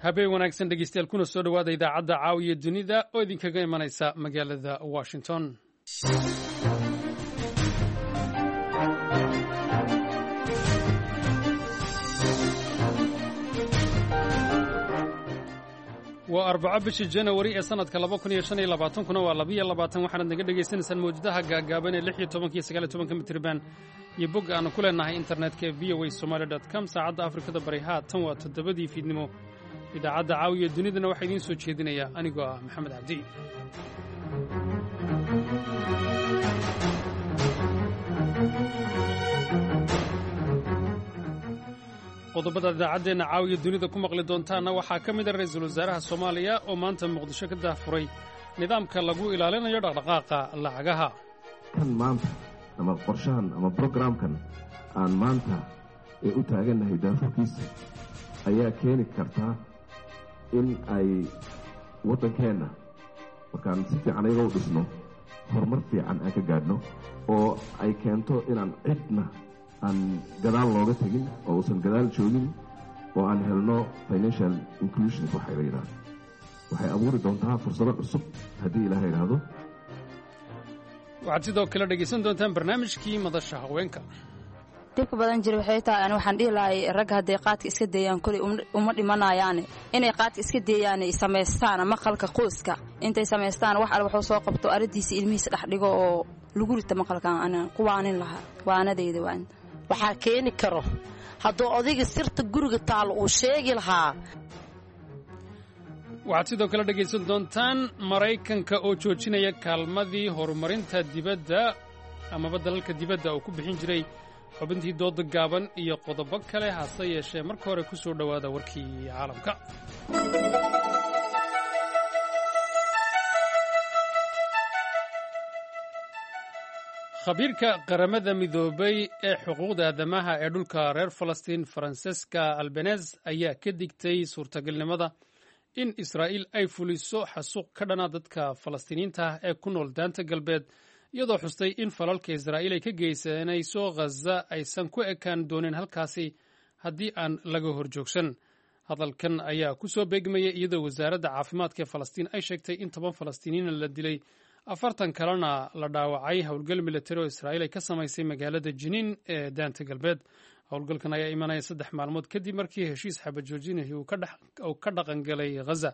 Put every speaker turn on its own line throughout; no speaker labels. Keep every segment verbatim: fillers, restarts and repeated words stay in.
Habeen wanaagsan, dhegeystayaal, kuna soo dhowaada idaacadda Caawiya Dunida oo idinkaga imanaysa magaalada Washington. Waa Arbaco, bisha Janawari ee sanadka laba kun iyo shan iyo labaatankuna waa labiyo labaatan. Waxaanad naga dhegaysanaysaan mawjadaha gaagaaban ee lix iyo tobanka iyo sagaal iyo tobanka mitriban iyo bog aanu ku leenahay internetka ee V O A Somali dot com. Saacadda Afrikada Bari haatan waa toddobadii fiidnimo. Idaacadda Caawiya Dunidana waxaa idiin soo jeedinaya anigoo ah Maxamed Cabdi. Qodobada idaacaddeenna Caawiya Dunida ku maqli doontaanna waxaa ka mid a ra-iisul wasaaraha Soomaaliya oo maanta Muqdisho ka daahfuray nidaamka lagu ilaalinayo dhaqdhaqaaqa lacagaha.
Kan maanta ama qorshahan ama programkan aan maanta ee u taagannahay daafurkiisa ayaa keeni kartaa in ay waddankeenna markaan si fiican ayaga u dhisno horumar fiican aan ka gaadhno, oo ay keento inaan cidna aan gadaal looga tegin oo uusan gadaal joogin, oo aan helno financial inclusion waxay la yidhahdo. Waxay abuuri doontaa fursado cusub haddii Ilaha yidhaahdo.
Waxaad sidoo kale dhegaysan doontaan barnaamijkii Madasha Haweenka.
Dhibka badan jira waxay tahay, ani waxaan dhihi lahay, ragga hadday qaadka iska deeyaan koley uma dhimanayaane, inay qaadka iska deeyaan, samaystaan maqalka qoyska, intay samaystaan wax al waxuu soo qabto, aradiisa ilmihiisa dhex dhigo oo lagu rita maqalkan. Ana ku waanin lahaa, waanadayda waa inta.
Waxaa keeni karo hadduu odayga sirta guriga taalo uu sheegi lahaa.
Waxaad sidoo kale dhegaysan doontaan Maraykanka oo joojinaya kaalmadii horumarinta dibadda amaba dalalka dibadda uu ku bixin jiray, xubintii dooda gaaban iyo qodobo kale. Hase yeeshee marka hore ku soo dhowaada warkii caalamka. Khabiirka Qaramada Midoobay ee xuquuqda aadamaha ee dhulka reer Falastiin, Francesca Albanese, ayaa ka digtay suurtagalnimada in Israa'iil ay fuliso xasuuq ka dhana dadka Falastiiniyiinta ah ee ku nool Daanta Galbeed, iyadoo xustay in falalka Israa'iil ay ka geysanayso Ghaza aysan ku ekaan doonin halkaasi haddii aan laga horjoogsan. Hadalkan ayaa ku soo beegmaya iyadoo wasaaradda caafimaadka ee Falastiin ay sheegtay in toban Falastiiniyiina la dilay, afartan kalena la dhaawacay howlgal militari oo Israa'iil ay ka samaysay magaalada Jiniin ee Daanta Galbeed. Howlgalkan ayaa imanaya saddex maalmood kadib markii heshiis xabajoojinahi uu ka dhaqangalay Ghaza.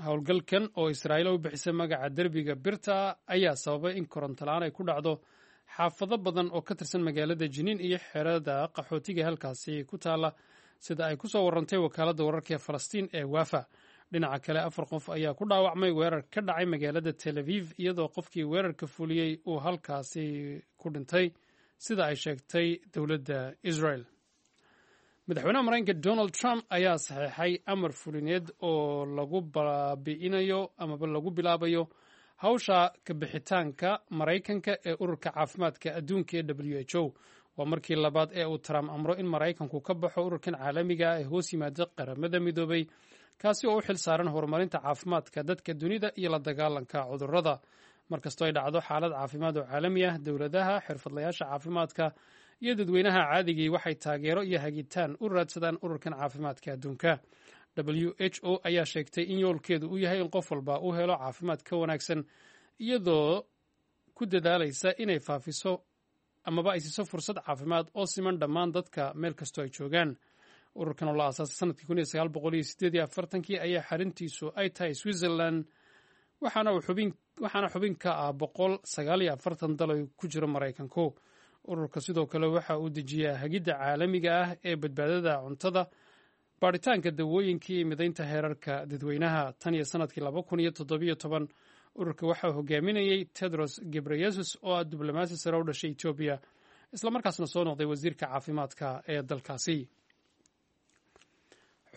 Howlgalkan oo Israa'iil u bixisay magaca Derbiga Birta ayaa sababay in koronto la-aan ay ku dhacdo xaafado badan oo ka tirsan magaalada Jiniin iyo xerada qaxootiga halkaasi ku taala, sida ay ku soo warantay wakaaladda wararka ee Falastiin ee Waafa. Dhinaca kale, afar qof ayaa ku dhaawacmay weerar ka dhacay magaalada Tel Aviv, iyadoo qofkii weerarka fuliyey uu halkaasi ku dhintay, sida ay sheegtay dowladda Israel. Madaxweynaha Maraykanka Donald Trump ayaa saxeexay amar fulineed oo lagu baabi'inayo amaba lagu bilaabayo hawsha kabixitaanka Maraykanka ee Ururka Caafimaadka Adduunka ee W H O. Waa markii labaad ee uu Trump amro in Maraykanku ka baxo ururkan caalamiga ah ee hoos yimaada Qaramada Midoobay, kaasi oo u xil saaran horumarinta caafimaadka dadka dunida iyo la dagaalanka cudurrada. Markastoo ay dhacdo xaalad caafimaad oo caalami ah, dowladaha, xirfadlayaasha caafimaadka iyo dadweynaha caadigii waxay taageero iyo hagitaan u raadsadaan Ururkan Caafimaadka Adduunka. W H O ayaa sheegtay in yoolkeedu uu yahay in qof walba uu helo caafimaad ka wanaagsan, iyadoo ku dadaalaysa inay faafiso amaba ay siiso fursad caafimaad oo siman dhammaan dadka meel kastoo ay joogaan. Ururkan oo la aasaasay sanadkii kun iyo sagaal boqol iyo sideed iyo afartankii ayaa xarintiisu ay tahay Switzerland, waxaana xubin waxaana xubin ka ah boqol sagaal iyo afartan dal ay ku jiro Maraykanku. Ururka sidoo kale waxa uu dejiyaa hagidda caalamiga ah ee badbaadada cuntada, baadhitaanka dawooyinka iyo midaynta heerarka dadweynaha. Tan iyo sanadkii laba kun iyo toddobiyo toban, ururka waxaa hogaaminayey Tedros Gebreyesus oo ah diblomaasi sare u dhashay Etoobiya, islamarkaasna soo noqday wasiirka caafimaadka ee dalkaasi.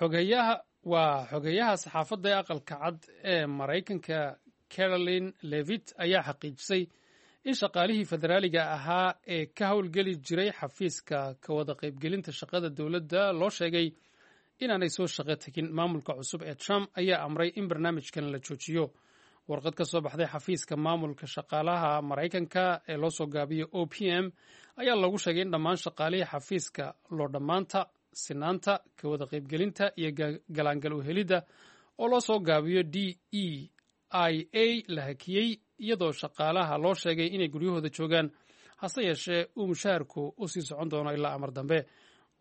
Xogeyaha waa xogeyaha saxaafadda ee Aqalka Cad ee Maraykanka, Karoline Leavitt, ayaa xaqiijisay in shaqaalihii federaaliga ahaa ee ka howlgeli jiray xafiiska ka wada qaybgelinta shaqada dowladda loo sheegay inaanay soo shaqo tegin. Maamulka cusub ee Trump ayaa amray in barnaamijkan la joojiyo. Warqad ka soo baxday xafiiska maamulka shaqaalaha Maraykanka ee loo soo gaabiyo O P M ayaa lagu sheegay in dhammaan shaqaalihii xafiiska loo dhammaanta sinaanta, ka wada qaybgelinta iyo galaangal uhelidda oo loo soo gaabiyo D E I A la hakiyey, iyadoo shaqaalaha loo sheegay inay guryahooda joogaan, hase yeeshee uu mushaharku u sii socon doono ilaa amar dambe.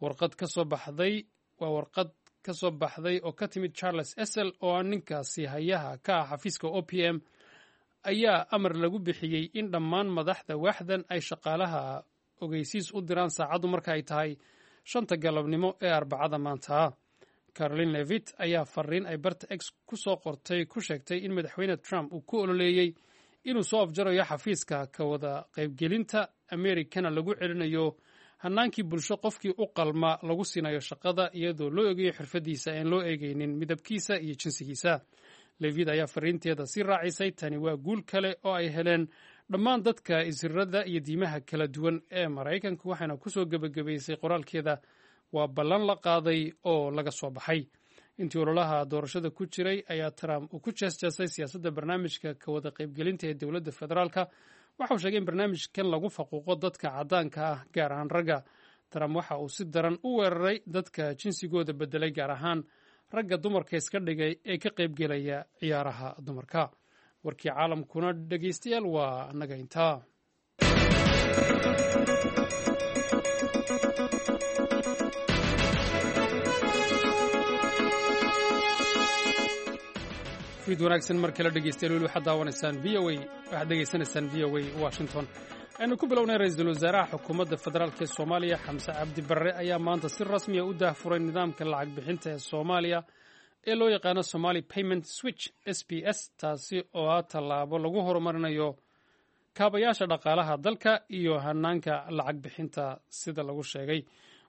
Warqad ka soo baxday waa warqad ka soo baxday oo ka timid Charles Esel oo ah ninkaasi hayaha ka ah xafiiska O P M ayaa amar lagu bixiyey in dhammaan madaxda waaxdan ay shaqaalaha ogeysiis u diraan saacaddu marka ay tahay shanta galabnimo ee Arbacada maanta. Caroline Levitt ayaa fariin ay barta X ku soo qortay ku sheegtay in madaxweyne Trump uu ku ololeeyey inuu soo afjarayo xafiiska ka wada qaybgelinta Amerikana lagu celinayo hanaankii bulsho qofkii u qalma lagu siinayo shaqada iyadoo loo eegayo xirfadiisa aan loo eegaynin midabkiisa iyo jinsigiisa. Levid ayaa fariinteeda sii raacisay, tani waa guul kale oo ay heleen dhammaan dadka isirada iyo diimaha kala duwan ee Maraykanka, waxayna kusoo gebagabaysay qoraalkeeda waa ballan la qaaday oo laga soo baxay. Intii ololaha doorashada ku jiray ayaa Trump uu ku jeesjeesay siyaasadda barnaamijka ka wada qaybgelinta ee dowladda federaalka. Waxa uu sheegay in barnaamijkan lagu faquuqo dadka caddaanka ah, gaar ahaan ragga. Trump waxa uu si daran u weeraray dadka jinsigooda bedelay, gaar ahaan ragga dumarka iska dhigay ee ka qaybgelaya ciyaaraha dumarka. Warkii caalamkuna dhegeystayaal waa annaga intaa. Fiid wanaagsan mar kale dhegeystayaal, weli waxaad daawanaysaan V O A, waxaad dhegeysanaysaan V O A Washington. Aynu ku bilownay, ra-iisul wasaaraha xukuumadda federaalk ee Soomaaliya Xamse Cabdi Barre ayaa maanta si rasmiya u daahfuray nidaamka lacag bixinta ee Soomaaliya ee loo yaqaano Somali Payment Switch S P S, taasi oo ah tallaabo lagu horumarinayo kaabayaasha dhaqaalaha dalka iyo hanaanka lacag bixinta sida lagu sheegay.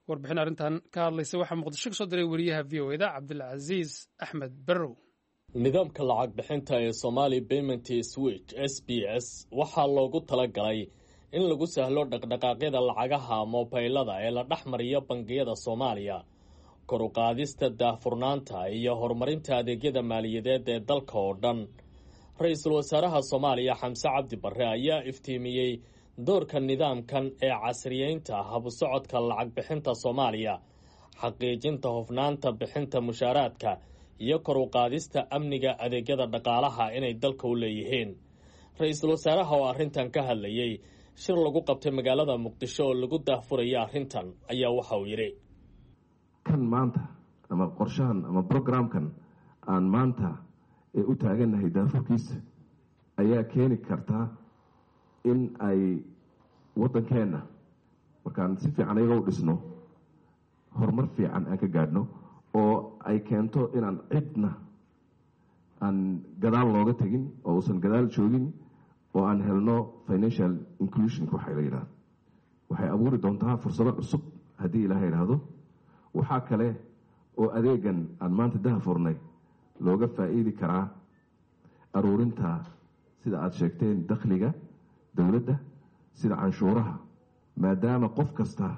Warbixin arrintan ka hadlaysa waxaa Muqdisho kasoo diray wariyaha V O E da Cabdilcasiis Axmed Barrow.
Nidaamka lacag bixinta ee Somali Payment Switch S P S waxaa loogu talagalay in lagu sahlo dhaqdhaqaaqyada lacagaha moobaylada ee la dhex mariyo bangiyada Soomaaliya, kor u qaadista daahfurnaanta iyo horumarinta adeegyada maaliyadeed ee dalka oo dhan. Ra-iisul wasaaraha Soomaaliya Xamse Cabdi Barre ayaa iftiimiyey doorka nidaamkan ee casriyeynta habsocodka lacag bixinta Soomaaliya, xaqiijinta hufnaanta bixinta mushaaraadka iyo kor u qaadista amniga adeegyada dhaqaalaha inay dalka u leeyihiin. Ra-iisul wasaaraha oo arrintan ka hadlayey shir lagu qabtay magaalada Muqdisho oo lagu daahfuraya arrintan ayaa waxa uu yidhi:
Kan maanta ama qorshahan ama programkan aan maanta ee u taagannahay daafurkiisa ayaa keeni karta in ay waddankeenna markaan si fiican ayaga u dhisno horumar fiican aan ka gaadhno, oo ay keento inaan cidna aan gadaal looga tegin oo uusan gadaal joogin, oo aan helno financial inclusionka waxay la yidhahdo. Waxay abuuri doontaa fursado cusub haddii Ilaaha yidhaahdo. Waxaa kale oo adeegan aan maanta dahafurnay looga faa'iidi karaa aruurinta, sida aada sheegteen, dakhliga dowladda sida canshuuraha, maadaama qof kasta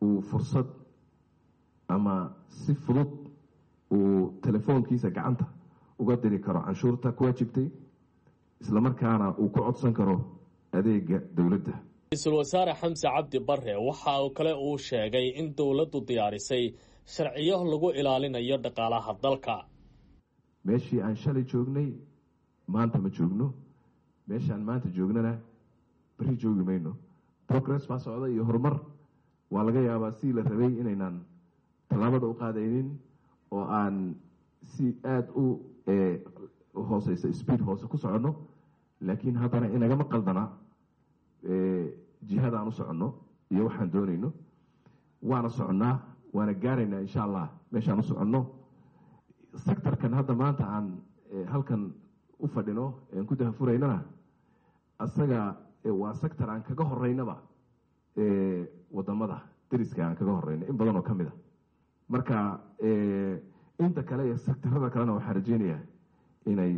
uu fursad ama si fudud uu telefoonkiisa gacanta uga diri karo canshuurta ku waajibtay, islamarkaana uu ku codsan karo adeega dowladda.
Ra-iisul wasaare Xamse Cabdi Barre waxa uu kale uu sheegay in dowladdu diyaarisay sharciyo lagu ilaalinayo dhaqaalaha dalka.
Meeshii aan shalay joognay maanta ma joogno, meeshaan maanta joognana beri joogi mayno. Progress baa socda iyo horumar. Waa laga yaabaa sidii la rabay inaynaan tallaabada u qaadaynin oo aan si aada u hooseysa, speed hoose ku soconno, laakiin haddana inagama qaldana jihadaan u soconno iyo waxaan doonayno. Waana soconnaa, waana gaaraynaa insha Allah meeshaan u soconno. Sectorkan hadda maanta aan halkan u fadhino aan ku dahafuraynana asaga waa sector aan kaga horeynaba wadamada dariska, aan kaga horeyno in badan oo ka mid a. Marka inta kale iyo sectorada kalena waxaan rajeynayaa inay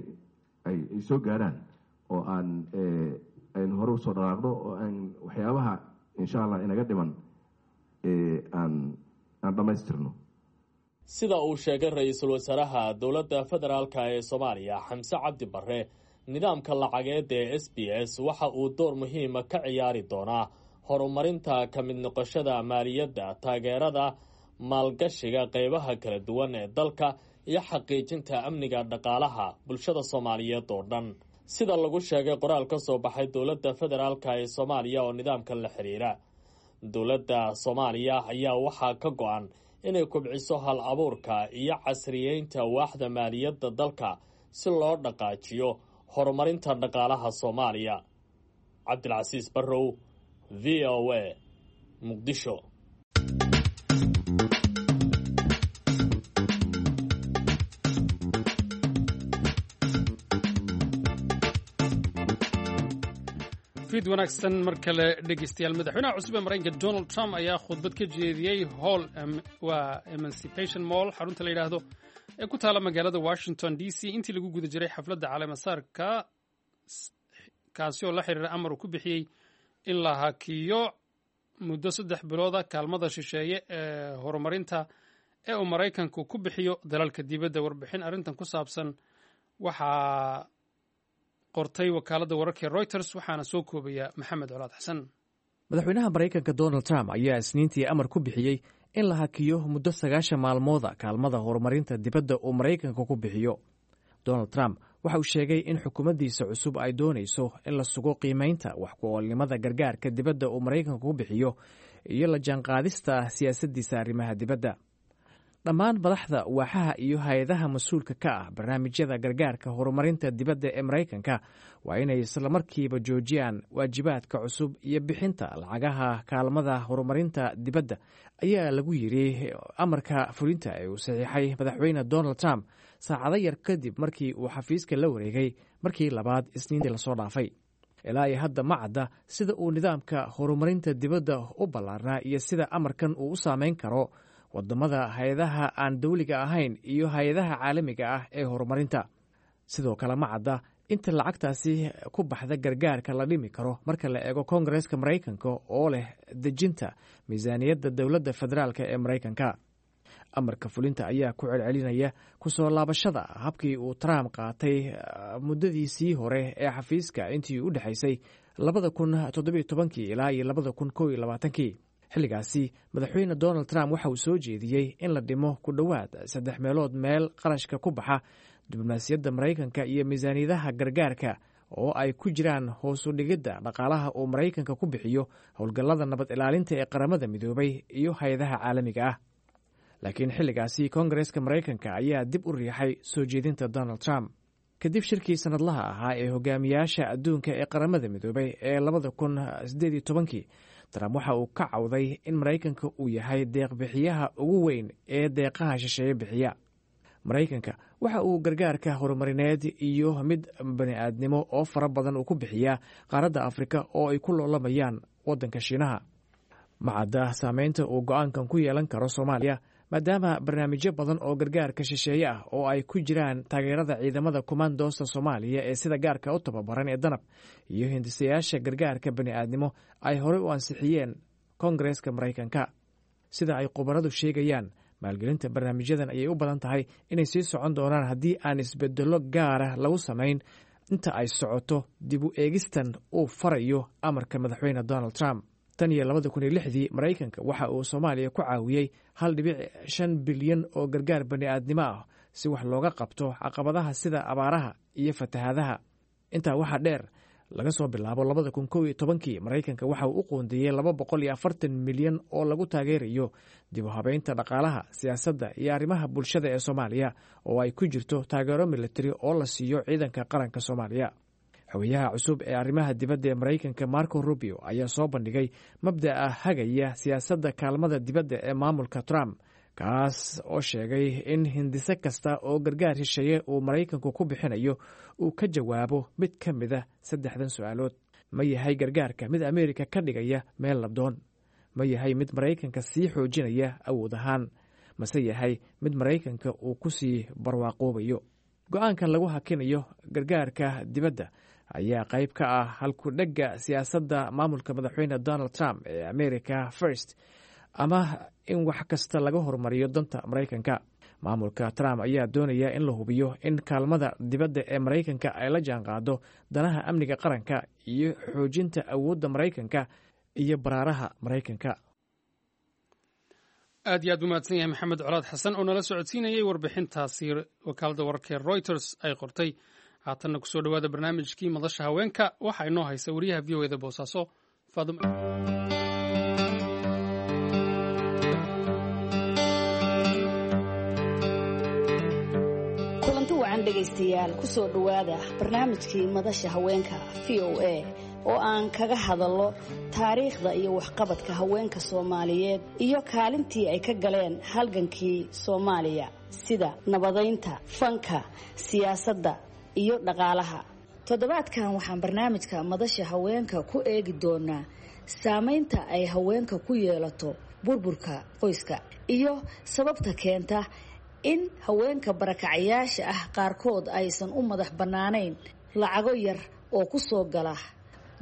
ay soo gaarhaan oo aan aynu hore usoo dhaqaaqno oo aan waxyaabaha insha Allah inaga dhiman aan aan dhammaystirno.
Sida uu sheegay ra-iisul wasaaraha dowladda federaalka ee Soomaaliya Xamse Cabdi Barre, nidaamka lacageed ee S B S waxa uu door muhiima ka ciyaari doonaa horumarinta ka mid noqoshada maaliyadda, taageerada Maalgashiga qeybaha kala duwan ee dalka iyo xaqiijinta amniga dhaqaalaha bulshada Soomaaliyeed oo dhan, sida lagu sheegay qoraal ka soo baxay dowladda federaalka ee Soomaaliya oo nidaamkan la xiriira. Dowladda Soomaaliya ayaa waxaa ka go-an inay kubciso hal abuurka iyo casriyeynta waaxda maaliyadda dalka si loo dhaqaajiyo horumarinta dhaqaalaha Soomaaliya. Cabdilcasiis Barrow, V O A, Muqdisho.
Fiid wanaagsan mar kale, dhegeystayaal. Madaxweynaha cusub ee Maraykanka Donald Trump ayaa khudbad ka jeediyey hall waa Emancipation Mall, xarunta la yidhaahdo ee ku taala magaalada Washington D C, intii lagu guda jiray xafladda caleemasaarka, kaasi oo la xiriira amar uu ku bixiyey in la hakiyo muddo saddex bilooda kaalmada shisheeye ee horumarinta ee uu Maraykanku ku bixiyo dalalka dibadda. Warbixin arrintan ku saabsan waxaa qortay wakaaladda wararka ee Reuters, waxaana soo koobaya Maxamed Colaad Xasan.
Madaxweynaha Maraykanka Donald Trump ayaa Isniintii amar ku bixiyey in la hakiyo muddo sagaashan maalmooda kaalmada horumarinta dibadda uu Maraykanka ku bixiyo. Donald Trump waxa uu sheegay in xukuumaddiisa cusub ay doonayso in la sugo qiimaynta wax ku-oolnimada gargaarka dibadda uu Maraykanka ku bixiyo iyo la jaanqaadista siyaasaddiisa arrimaha dibadda. Dhammaan madaxda waaxaha iyo hay-adaha mas-uulka ka ah barnaamijyada gargaarka horumarinta dibadda ee Maraykanka waa inay islamarkiiba joojiyaan waajibaadka cusub iyo bixinta lacagaha kaalmada horumarinta dibadda, ayaa lagu yiri amarka fulinta ee uu saxiixay madaxweyne Donald Trump saacado yar kadib markii uu xafiiska la wareegay markii labaad Isniintii lasoo dhaafay. Ilaa iyo hadda ma cadda sida uu nidaamka horumarinta dibadda u ballaarnaa iyo sida amarkan uu u saameyn karo wadamada, hay-adaha aan dowliga ahayn iyo hay-adaha caalamiga ah ee horumarinta. Sidoo kale ma cadda inta lacagtaasi ku baxda gargaarka la dhimi karo marka la eego Koongareeska Maraykanka oo leh dejinta miisaaniyadda dowladda federaalka ee Maraykanka. Amarka fulinta ayaa ku celcelinaya kusoo laabashada habkii uu Trump qaatay muddadiisii hore ee xafiiska intii u dhexaysay labada kun toddobiyo tobankii ilaa iyo labada kun kow iyo labaatankii. Xilligaasi madaxweyne Donald Trump waxa uu soo jeediyey in la dhimo ku dhowaad saddex meelood meel qarashka ku baxa diblomaasiyadda Maraykanka iyo miisaaniyadaha gargaarka, oo ay ku jiraan hoosu dhigidda dhaqaalaha uu Maraykanka ku bixiyo howlgallada nabad ilaalinta ee Qaramada Midoobay iyo hay-adaha caalamiga ah. Laakiin xilligaasi Koongareeska Maraykanka ayaa dib u riixay soo jeedinta Donald Trump. Kadib shirkii sanadlaha ahaa ee hogaamiyaasha adduunka ee Qaramada Midoobay ee labada kun sideed iyo tobankii, Trump waxa uu ka cawday in Maraykanka uu yahay deeqbixiyaha ugu weyn ee deeqaha shisheeye bixiya. Maraykanka waxa uu gargaarka horumarineed iyo mid bani-aadnimo oo fara badan uu ku bixiyaa qaaradda Afrika oo ay ku loolamayaan waddanka Shiinaha. Ma cadda saameynta uu go-aankan ku yeelan karo Soomaaliya, maadaama barnaamijyo badan oo gargaarka shisheeye ah oo ay ku jiraan taageerada ciidamada kumaandoosta Soomaaliya ee sida gaarka u tababaran ee Danab iyo hindisayaasha gargaarka bani-aadnimo ay horey u ansixiyeen Koongareeska Maraykanka. Sida ay khubaradu sheegayaan, maalgelinta barnaamijyadan ayay u badan tahay inay sii socon doonaan haddii aan isbedello gaara lagu samayn inta ay socoto dib u eegistan uu farayo amarka madaxweyne Donald Trump. Tan iyo labada kun iyo lixdii Maraykanka waxa uu Soomaaliya ku caawiyey hal dhibic shan bilyan oo gargaar bani-aadnimo ah si wax looga qabto caqabadaha sida abaaraha iyo fatahaadaha. Intaa waxaa dheer, laga soo bilaabo labada kun kow iyo tobankii Maraykanka waxa uu u qoondeeyey laba boqol iyo afartan milyan oo lagu taageerayo dib u habeynta dhaqaalaha, siyaasadda iyo arrimaha bulshada ee Soomaaliya, oo ay ku jirto taageero militari oo la siiyo ciidanka qaranka Soomaaliya. Xogayaha cusub ee arrimaha dibadda ee Maraykanka Marco Rubio ayaa soo bandhigay mabda'a hagaya siyaasadda kaalmada dibadda ee maamulka Trump, kaas oo sheegay in hindise kasta oo gargaar shisheeye uu Maraykanku ku bixinayo uu ka jawaabo mid ka mida saddexdan su-aalood: Ma yahay gargaarka mid Ameerika ka dhigaya meel labdoon? Ma yahay mid Maraykanka sii xoojinaya awood ahaan? Mase yahay mid Maraykanka uu ku sii barwaaqoobayo? Go-aankan lagu hakinayo gargaarka dibadda ayaa qayb ka ah halku-dhegga siyaasadda maamulka madaxweyne Donald Trump ee America First, ama in wax kasta laga horumariyo danta Maraykanka. Maamulka Trump ayaa doonaya in la hubiyo in kaalmada dibadda ee Maraykanka ay la jaanqaado danaha amniga qaranka iyo xoojinta awoodda Maraykanka iyo baraaraha Maraykanka.
Aad iyo aad u mahadsan yahay Maxamed Colaad Xasan oo nala socodsiinayay warbixintaasi wakaaladda wararka ee Reuters ay qortay. Haatanna kusoo dhowaada barnaamijkii Madasha Haweenka. Waxaa inoo haysa wariyaha V O E da Boosaaso, Faadum.
Kulanti wacan, dhegaystayaal. Kusoo dhowaada barnaamijkii Madasha Haweenka V O A oo aan kaga hadallo taariikhda iyo waxqabadka haweenka Soomaaliyeed iyo kaalintii ay ka galeen halgankii Soomaaliya, sida nabadaynta, fanka, siyaasadda iyo dhaqaalaha. Toddobaadkan waxaan barnaamijka Madasha Haweenka ku eegi doonaa saamaynta ay haweenka ku yeelato burburka qoyska iyo sababta keenta in haweenka barakacayaasha ah qaarkood aysan u madax bannaanayn lacago yar oo ku soo gala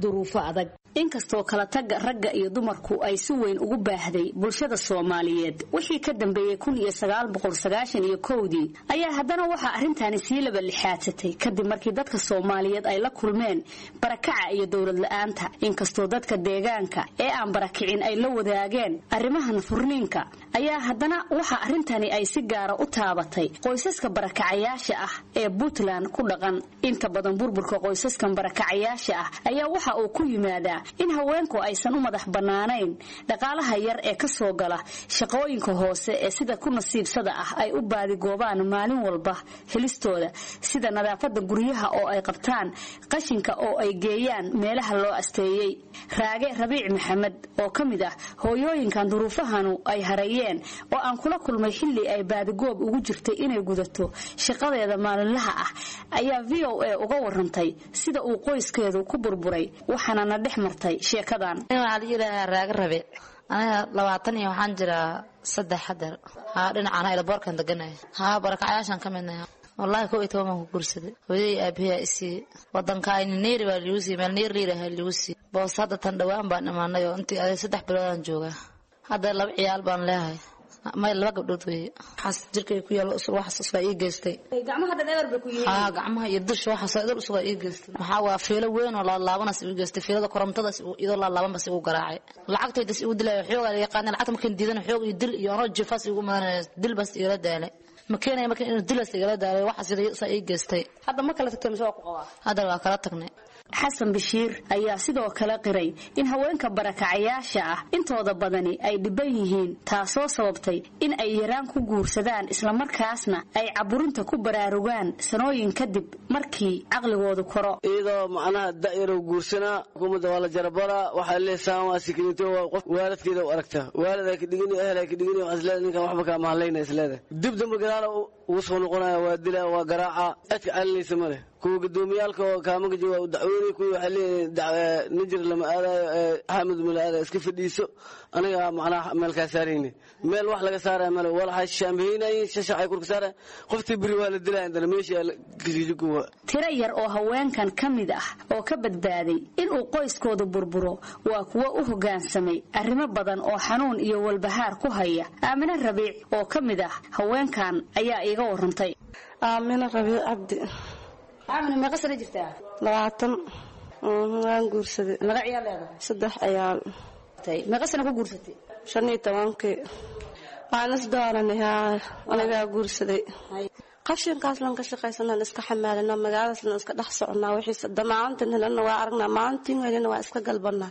duruufo adag. Inkastoo kala tagga ragga iyo dumarku ay si weyn ugu baahday bulshada Soomaaliyeed wixii ka dambeeyey kun iyo sagaal boqol sagaashan iyo kowdii, ayaa haddana waxaa arrintaani sii laba lixaadsatay kadib markii dadka Soomaaliyeed ay la kulmeen barakaca iyo dowlad la-aanta. Inkastoo dadka deegaanka ee aan barakicin ay la wadaageen arrimahan furniinka, ayaa haddana waxa arrintani ay si gaara u taabatay qoysaska barakacayaasha ah ee Puntland ku dhaqan. Inta badan burburka qoysaskan barakacayaasha ah ayaa waxa uu ku yimaadaa in haweenku aysan u madax bannaanayn dhaqaalaha yar ee ka soo gala shaqooyinka hoose ee sida ku nasiibsada ah ay u baadigoobaan maalin walba helistooda, sida nadaafadda guryaha oo ay qabtaan, qashinka oo ay geeyaan meelaha loo asteeyey. Raage Rabiic Maxamed oo ka mid ah hooyooyinkan duruufahanu ay hareeyeen oo aan kula kulmay xilli ay baadigoob ugu jirtay inay gudato shaqadeeda maalinlaha ah ayaa V O A uga warantay sida uu qoyskeedu ku burburay, waxaana na dhex martay sheekadan.
Waxaa la yidhaahaa Raaga Rabe. Aniga labaatan iyo waxaan jiraa saddex hadeer. Haa, dhinacaan airportkan deganaya. Haa, barakacayaashaan ka midnahay. Wallaahi, kow iyo toban baan ku guursaday. Hooyadii, aabahay isiiyey. Wadankaayni Neeri baa liigu siiyey, meel Neeri layidhaaha liigu siiyey. Boos hadda tan dhawaan baan imaanay oo intii aday saddex biloodaan joogaa. Hadda laba ciyaal baan leeyahay, may laba gabdhood weeye. Waxaas jirkay ku yaalo waxaas usugaa ii geystay.
Gacmaha dhan eber bay ku yihiin.
Haa, gacmaha iyo dusha waxaas idil usugaa ii geystay. Maxaa waa fiilo weyn oo laalaabanas igu geystay. Fiilada korontadaas iyadoo laalaaban bas igu garaacay. Lacagtaydas igu dilaya, xoogaa la yaqaana. Lacagta markaan diidana xoog iyo dil iyo anoo jifaas igu madanaya, dil bas igala daalay. Ma keenaya marka inuu dilas igala daalay, waxaas saa ii geystay.
Hadda ma kala tagtay mise waa ku qabaa?
Hadda waa kala tagnay.
Xasan Bashiir ayaa sidoo kale qiray in haweenka barakacayaasha ah intooda badani ay dhiban yihiin, taasoo sababtay in ay yaraan ku guursadaan, islamarkaasna ay caburinta ku baraarugaan sanooyin kadib markii caqligoodu koro.
Iyadoo macnaha da'yarow guursanaa, xukuumadda waa la jarabaraa. Waxaa leesaan waa sikrinto, waa qof waalidkeeda u aragta, waalidaa ka dhigani, ehelaa ka dhigani. Waxaa isleedahay ninkan waxba kaa mahadlayna isleedahay. Dib dambe gadaala ugu soo noqonaya, waa dilaa, waa garaaca, cidka calinaysa ma leh. Kuwa gudoomiyaalka oo kaamaka jooga waa u dacweynay. Kuwii waxay leeyihiin nijir lama aadayo, Xamed ma la aadayo, iska fadhiiso, aniga macnaha meel kaa saarayne. Meel wax laga saaraya male, walaxa shaambaynayeen, shashacay kurka saaraya. Qoftii beri waa la dilaya intana meesha.
Tiro yar oo haweenkan ka mid ah oo ka badbaaday inuu qoyskoodu burburo waa kuwo u hoggaansamay arrimo badan oo xanuun iyo walbahaar ku haya. Aamine Rabiic oo ka mid ah haweenkan ayaa iiga warantay.
Aamine Rabiic Cabdi.
Aamine, meeqa sano jirtaa?
Labaatan. Waan guursaday.
Meeqa ciyaal leedahay?
Saddex ciyaal.
Meeqa sano ku guursatay?
Shan iyo tobankii. Waan is dooranay. Haa, anigaa guursaday. Qashinkaas lan ka shaqaysanaan, iska xamaalina, magaaladaasna iska dhex soconaa. Wixiise maalintan helana waa aragnaa, maalintiin helana waa iska galbanaa.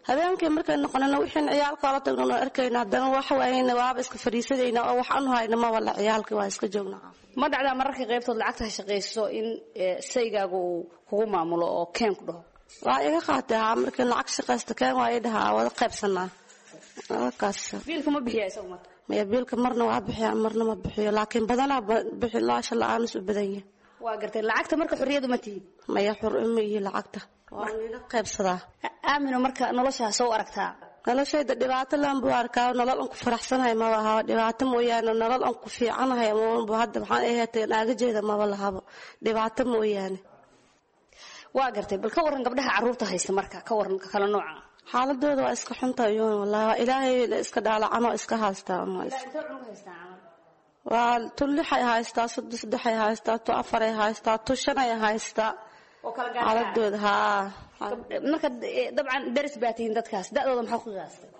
Habeenkii markay noqonana wixiin ciyaalka ola tagnan oo arkayna, haddana wax waayna waaba iska fadhiisanayna oo wax anu hayna maba la ciyaalkii waa iska joognaa.
Ma dhacdaa mararka qaybtood lacagta shaqayso in saygaagu uu kugu maamulo oo keen ku dhaho?
Waa iga qaatay. Haa, markii lacag shaqaysta keen waa ii dhahaa, wada qaybsanaa kaas.
Biilka ma bixiya isagu marka?
Maya, biilka marna waa bixiya, marna ma bixiyo, laakiin badanaa bixi laasha la-aanis u badan yahay.
Waa gartay. Lacagta marka xorriyadu ma tihid?
Maya, xor uma ihi lacagta, waan ila qaybsadaa.
Aamino, marka noloshaa soo aragtaa?
Noloshayda dhibaato laan buu arkaa. Nolol aan ku faraxsanahay maba ahaba, dhibaato mooyaane. Nolol aan ku fiicanahay maba hadda waxaan aheetay naaga jeeda maba lahabo, dhibaato mooyaane.
Waa gartay. Bal ka waran gabdhaha carruurta haysta marka, ka waran kala nooca?
Xaaladooda waa iska xunta iyuun, wallahi waa Ilaahay iska dhaalacanoo iska haystaa. Waa tu lixay haystaa, saddex saddexay haystaa, tu afaray haystaa, tu shanay haystaa. Xaaladooda haa.
Marka dabcan daris baa tihiin dadkaas, da'dooda maxaa ku qiyaastay?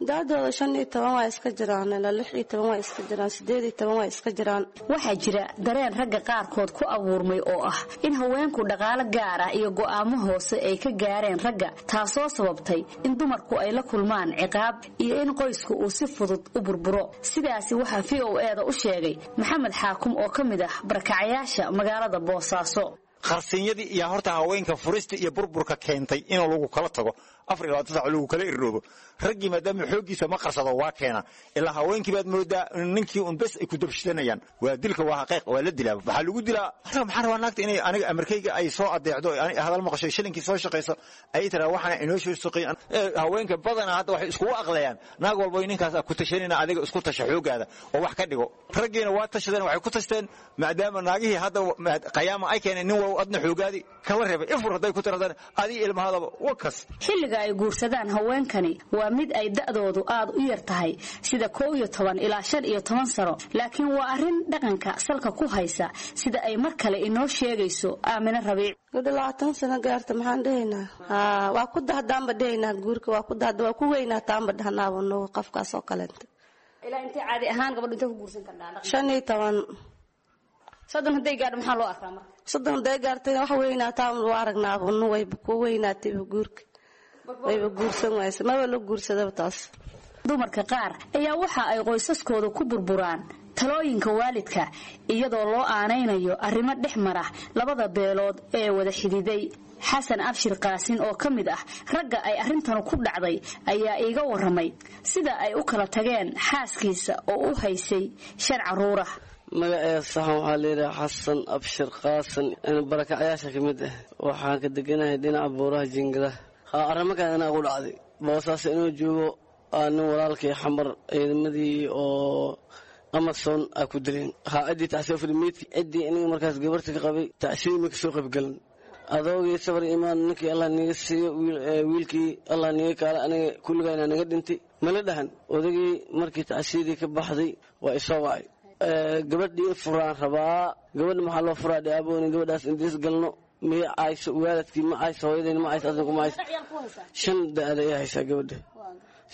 Da-dooda shan iyo toban waa iska jiraan, ilaa lix iyo toban waa iska jiraan, sideed iyo toban waa iska jiraan.
Waxaa jira dareen ragga qaarkood ku abuurmay oo ah in haweenku dhaqaalo gaar ah iyo go'aamo hoose ay ka gaareen ragga, taasoo sababtay in dumarku ay la kulmaan ciqaab iyo in qoysku uu si fudud u burburo. Sidaasi waxaa v o e da u sheegay Maxamed Xaakum oo ka mid ah barakacayaasha magaalada Boosaaso.
Qarsiinyadii iyo horta haweenka furista iyo burburka keentay in lagu kala tago afar iyo labaatan saac lagu kala irroobo. Raggii maadaama xooggiisa ma qarsado waa keena, ilaa haweenkii baad moodaa ninkii un bes ay ku dabshidanayaan. Waa dilka, waa xaqiiq, waa la dilaa. Waxaa lagu dilaa aniga maxaan rabaa naagta inay aniga amarkayga ay soo adeecdo, hadal maqasho, shilinkii soo shaqayso, ay tiraa waxaana inoo soo shaqeyn. Haweenka badanaa hadda waxay iskugu aqlayaan naag walba ninkaas ku tashanina, adiga isku tasha xooggaada oo wax ka dhigo. Raggiina waa tashadeen, waxay ku tashteen maadaama naagihii hadda qayaama ay keeneen, nin walba adna xoogaadi kala reebay ifur hadday ku tiradaan adii ilmahadaba wakas.
Xilliga ay guursadaan haweenkani waa mid ay da'doodu aad u yar tahay, sida kow iyo toban ilaa shan iyo toban sano, laakiin waa arrin dhaqanka salka ku haysa, sida ay mar kale inoo sheegayso Aamine Rabiic.
Gabdha labaatan sano gaarta maxaan dhehaynaa? Haa, waa ku dahdaanba dhehaynaa guurka, waa ku dahda, waa ku weynaataanba dhahnaaba nugu qofkaas oo kaleenta.
Ilaa intee caadi ahaan gabadhu intee ku guursan kardhaa?
Shan iyo toban.
Soddon hadday gaadho maxaa loo arkaa marka?
Soddon hadday gaartayna wax weynaataan loo aragnaaba nu, wayba ku weynaatayba guurka, wayba guursan wayse, maba la guursadaba taas.
Dumarka qaar ayaa waxa ay qoysaskooda ku burburaan talooyinka waalidka, iyadoo loo aanaynayo arrimo dhex mara labada beelood ee wada xididay. Xasan Abshir Qaasin oo ka mid ah ragga ay arrintanu ku dhacday ayaa iiga warramay sida ay u kala tageen xaaskiisa oo u haysay shan carruurah.
Magaceeda saxan waxaa layidhaha Xasan Abshir Qaasan, barakacayaasha ka mid ah. Waxaan ka deganahay dhinaca buuraha Jiingadaha. Arrimo kale inaa ugu dhacday Boosaaso inuu joogo aa nin walaalkii Xamar ciidamadii oo Amazon aa ku dileen. Haa, ciddii tacsiyo furmeydki, ciddii aniga markaas gabarta ka qabay tacsiyo ma kasoo qaybgalan. Adoogii sabar imaan, ninkii Allah niga siiyo, wiilkii Allah niga kaala, aniga kulligayna naga dhintay mala dhahan. Odagii markii tacsiyadii ka baxday waa isoo wacay, gabadhii furaan rabaa. Gabadha maxaa loo furaa? Dhiabooni gabadhaas indiis galno miya cayso, waalidkii ma cayso, hooyadayna ma cayso, adinku ma cayso. Shan da-ada ii haysaa gabadha,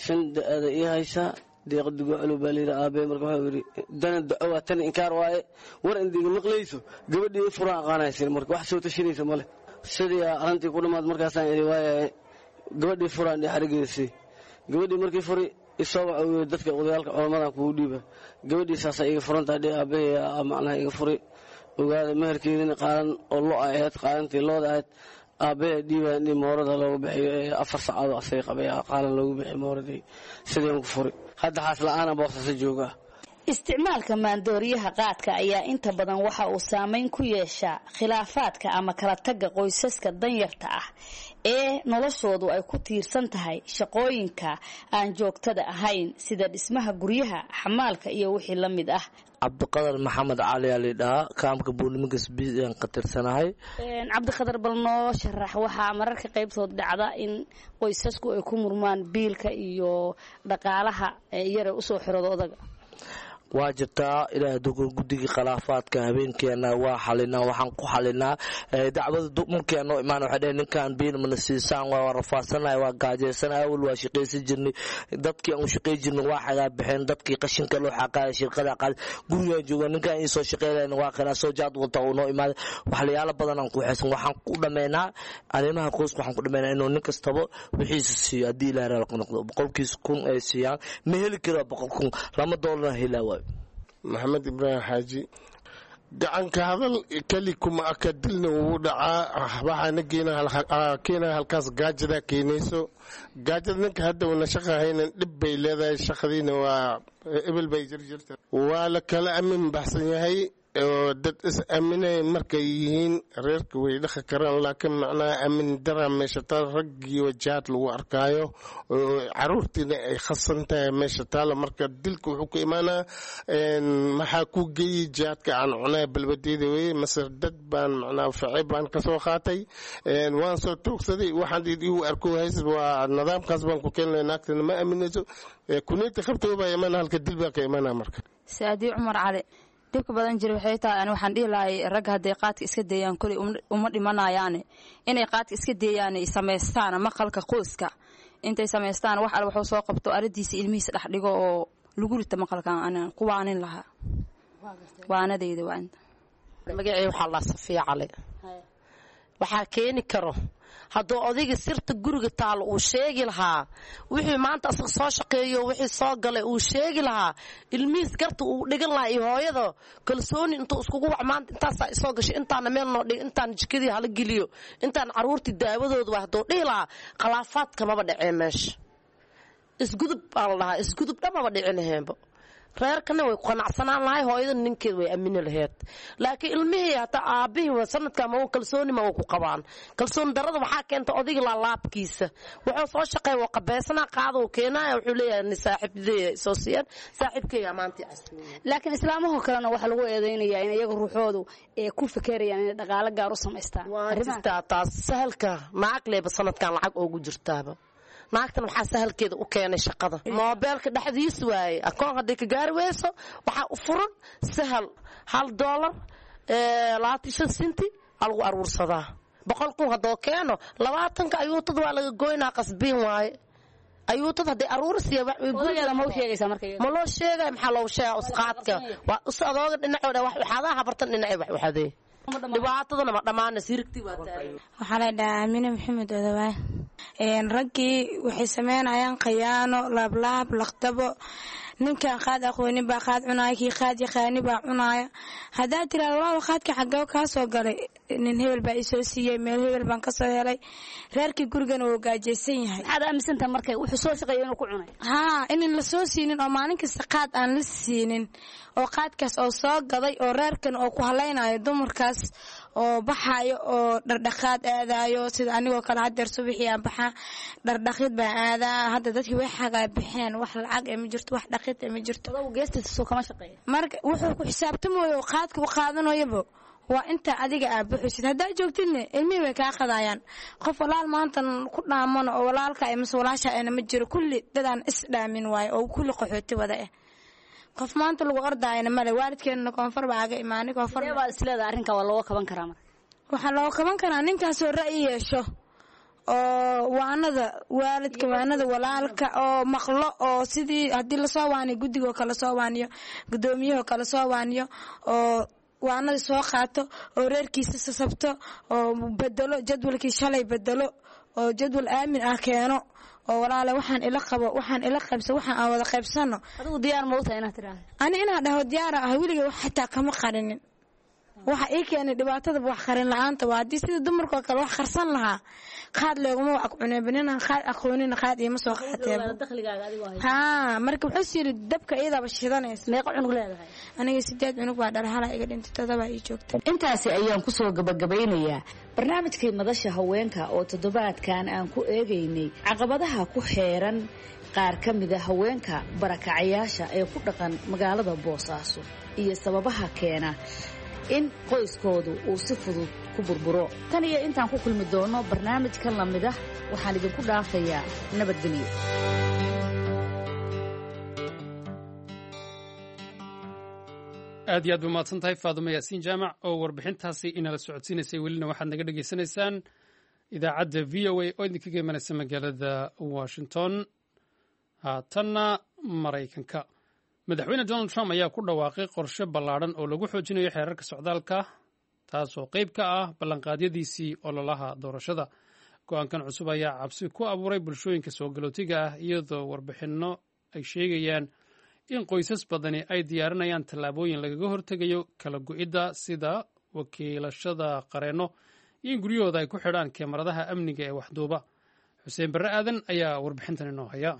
shan da-ada ii haysaa. Deeqa dugo culu baa layidhi aabee. Marka waxuu yidhi dana daco waa tani inkaar waaye, war indiga maqlayso, gabadhii ii furaan aqaanaysin. Marka wax soo tashanaysa male, sidii arrintii ku dhammaad. Markaasaan idhi waayahay, gabadhii furaan dhii xarigeedasii. Gabadhii markii furi isoo waxa uu yidhi dadka odayaalka culamadan kugu dhiiba. Gabadhii saasaa iga furantahay dhii aabahey, macnaha iga furi ogaada. Meherkeedina qaalan oo lo ahayd, qaalantii looda ahayd aabbahe dhiibaan dhii moorada loogu bixiyo ee afar sacaadoo asaga qabay qaalan loogu bixiyo mooradii, sideen ku furi. Hadda xaas la-aana Boosaaso joogaa.
Isticmaalka maandooriyaha qaadka ayaa inta badan waxa uu saameyn ku yeeshaa khilaafaadka ama kala tagga qoysaska danyarta ah ee noloshoodu ay ku tiirsan tahay shaqooyinka aan joogtada ahayn, sida dhismaha guryaha, xamaalka iyo wixii la mid ah.
Cabdiqadar Maxamed Cali aa laydhahaa, kaamka buurniminkas bian ka tirsanahay.
Cabdiqadar, bal noo sharax, waxaa mararka qaybtood dhacda in qoysasku ay ku murmaan biilka iyo dhaqaalaha yare usoo xirooda odaga.
Waa jirtaa. Ilaah dukur guddigii khilaafaadka habeenkeena waa xalinaa. Waxaan ku xalinaa dacwada markii noo imaan, waxay dheheen ninkaan biil mana siisaan, waa rafaasanahay, waa gaajeysanahay, awal waa shaqaysan jirnay, dadkii aan u shaqay jirnay waa xagaa bixeen, dadkii qashinka loo xaqaaya shirqada qaad gurigaan jooga, ninkaan ii soo shaqaylayn waa kana soo jaad wata uu noo imaaday. Waxlayaalo badan aan ku xeesan waxaan ku dhammaynaa arrimaha qoyska. Waxaan ku dhammaynaa inuu nin kastaba wixiisa siiyo. Haddii Ilaah raali noqdo, boqolkiisa kun ay siiyaan ma heli karo, boqol kun lama doolarna helaa waayo.
Maxamed Ibraahim Xaaji. Gacanka hadal keli kuma aka, dilna wuu dhacaa. Waxaana keenaya halkaas gaajada keenayso. Gaajada ninka hadda una shaqa haynan dhib bay leedahay, shaqadiina waa ebel bay jirjirta, waa la kala amin baxsan yahay oo dad is aaminay markay yihiin reerka way dhaqi karaan, laakiin macnaha aamin daraa meesha taal, raggii wajahaad lagu arkaayo oo caruurtiina ay khasan tahay meesha taala. Marka dilka wuxuu ka imaanaa maxaa ku geeyey jihaadka aan cunaa balbadeeda weye, mase dad baan macnaha facey baan kasoo qaatay, waan soo toogsaday, waxaan igu arko hays waa nidaamkaas baan ku keenlay. Naagtana ma aaminayso, kuneeta qabtoo baa imaana, halka dil baa ka imaanaa marka.
Saadii Cumar Cali. Dhibka badan jira waxay tahay ani waxaan dhihi lahay ragga hadday qaadka iska deeyaan koley uma dhimanayaane, inay qaadka iska deeyaan samaystaan maqalka qoyska, Intay samaystaan wax al waxuu soo qabto aradiisa ilmihiisa dhex dhigo oo lagu rito maqalkan anaan ku waanin lahaa. Waanadayda waa inta.
Magacii waxaa la Safiya Cali. Waxaa keeni karo hadduu odayga sirta guriga taalo uu sheegi lahaa, wixii maanta asaga soo shaqeeyo, wixii soo galay uu sheegi lahaa, ilmihiis garta uu dhigan lahaa iyo hooyada kalsooni intuu iskugu wac, maanta intaasaa isoo gashay, intaana meel noo dhig, intaan jikadii hala geliyo, intaan carruurtii daawadooda waa, hadduu dhihi lahaa khilaafaadka maba dhaceen meesha. Isgudub baa la dhahaa, isgudub dhamaba dhici laheenba. Reerkana way ku qanacsanaan lahay, hooyada ninkeed way aamini laheyd. Laakiin ilmihii hataa aabihii sanadka ma kalsooni ma ku qabaan. Kalsooni darada waxaa keenta odayga laalaabkiisa. Wuxuu soo shaqeey waa qabeysana qaado keenaya, wuxuu leeyahay ni saaxiibadey soo siiyaan, saaxiibkayga maanta casuumay.
Laakiin islaamaha kalena waxaa lagu eedeynayaa in iyaga ruuxoodu ay ku fekerayaan inay dhaqaale gaar u samaystaan.
Waa jirtaa taas. Sahalka naag leeba sanadkan lacag oogu jirtaaba. Naagtan waxaa sahalkeeda u keenay shaqada moobeelka dhexdiis waaye. Akoon hadday ka gaari weyso waxaa u furan sahal, hal doolar labaatan shan sinti aa lagu aruursadaa. Boqol kun haddoo keeno, labaatanka ayuutada waa laga goynaa, qasbiin waaye. Ayuutada hadday aruursiya ma loo sheegaya? Maxaa loogu sheegaa? Usqaadka waa us adooga dhinacooda wax uxadaa, habartan dhinacay wax uxadee, dhibaatadana ma dhammaanaysa, hirigtii waa taagan.
Waxaa la dhahaa Aamine Maxamed Odawaay. Raggii waxay sameynayaan khayaano, laablaab, laqdabo. Ninkaan qaad aqoonin baa qaad cunaya, kii qaad yaqaani baa cunaya. Haddaad tiraado walaal qaadka xaggee kaa soo galay, nin hebel baa isoo siiyey, meel hebel baan kasoo helay, reerkii gurigana wuu gaajaysan yahay.
Maxaad aaminsantahay marka wuxuu soo shaqeeyo inuu ku cunay?
Haa, inan la soo siinin oo maalin kasta qaad aan la siinin oo qaadkaas oo soo gaday oo reerkan oo ku halaynayo, dumarkaas oo baxayo oo dhardhaqaad aadayo, sida anigoo kale hadeer subaxii aan baxaa, dhardhaqid baan aadaa. Hadda dadkii way xagaa baxeen, wax lacag ee ma jirto, wax dhaqid ee ma jirto. Marka wuxuu ku xisaabtamayo oo qaadka u qaadanayaba waa inta adiga aa buxusid. Haddaa joogtidna ilmihii way kaa qadayaan. Qof walaal maanta ku dhaamano oo walaalka mase walaasha ana ma jiro. Kulli dadaan is dhaamin waayo oo kulli qaxooti wada ah. Qof maanta lagu ordaayana male. Waalidkeenana koonfur baa aga imaanay, koonfur
baa isleedahay. Arrinka waa looga kaban karaa marka?
Waxaa looga kaban karaa ninkaasoo ra'yi yeesho oo waanada waalidka, waanada walaalka oo maqlo, oo sidii haddii lasoo waaniyo guddigoo kale soo waaniyo, guddoomiyahoo kale soo waaniyo, oo waanada soo qaato oo reerkiisa sasabto oo bedelo jadwalkii shalay, bedelo oo jadwal aamin ah keeno, oo walaale waxaan ila qabo, waxaan ila qaybso, waxaan aan wada qaybsano.
Adigu diyaar ma u tahay inaad tidhaahdo?
Ani inaan dhaho diyaara ah. Weliga wax xitaa kama qarinin. Waxa ii keenay dhibaatadaba wax qarin la-aanta waa. Haddii sida dumarkoo kale wax qarsan lahaa, qaad looguma wax cuneenba. Ninaan qaad aqoonina qaad iima soo qaateeba. Haa, marka wuxuu yiri dabka iyadaaba shidanaysa.
Meeqa cunug leedahay?
Aniga sideed cunug baa dhalay, halaa iga dhintay, todobaa ii joogta.
Intaasi ayaan ku soo gabagabeynayaa barnaamijkii madasha haweenka oo toddobaadkan aan ku eegaynay caqabadaha ku xeeran qaar ka mida haweenka barakacayaasha ee ku dhaqan magaalada Boosaaso iyo sababaha keena in qoyskoodu uu si fudud ku burburo. Tan iyo intaan ku kulmi doono barnaamijkan lamid ah, waxaan idinku dhaafayaa nabadgelyo.
Aad iyo aad ba mahadsan tahay Faadumo Yaasiin Jaamac oo warbixintaasi inala socodsiinaysay. Welina waxaad naga dhegaysanaysaan idaacadda V O A oo idinkaga imanaysa magaalada Washington. Haatanna Maraykanka, Madaxweyne Donald Trump ayaa ku dhawaaqay qorshe ballaadhan oo lagu xoojinayo xeerarka socdaalka, taasoo qayb ka ah ballanqaadyadiisii ololaha doorashada. Go-aankan cusub ayaa cabsi ku abuuray bulshooyinka soo galootiga ah, iyadoo warbixinno ay sheegayaan in qoysas badani ay diyaarinayaan tallaabooyin lagaga hortegayo kala go'idda, sida wakiilashada qareenno iyo in guryahooda ay ku xidhaan kemaradaha amniga ee waxduuba. Xuseen Barre Aadan ayaa warbixintan inoo haya.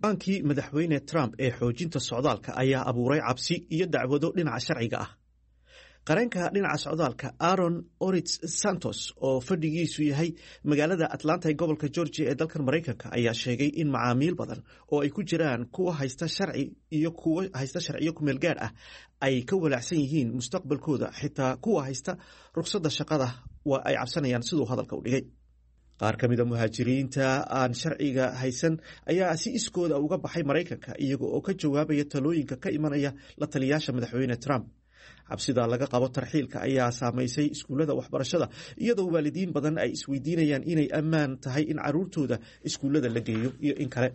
Go-aankii Madaxweyne Trump ee xoojinta socdaalka ayaa abuuray cabsi iyo dacwado dhinaca sharciga ah. Qareenka dhinaca socdaalka Aaron Oritz Santos oo fadhigiisu yahay magaalada Atlanta ee gobolka Georgia ee dalkan Maraykanka ayaa sheegay in macaamiil badan oo ay ku jiraan kuwa haysta sharci iyo kuwa haysta sharciyo kumeel gaar ah ay ka walaacsan yihiin mustaqbalkooda. Xitaa kuwa haysta ruqsadda shaqada waa ay cabsanayaan, siduu hadalka u dhigay. Qaar ka mid a muhaajiriinta aan sharciga haysan ayaa si iskooda uga baxay Maraykanka iyaga oo ka jawaabaya talooyinka ka imanaya la taliyaasha Madaxweyne Trump. Cabsida laga qabo tarxiilka ayaa saamaysay iskuullada waxbarashada, iyadoo waalidiin badan ay isweydiinayaan inay ammaan tahay in caruurtooda iskuullada la geeyo iyo in kale.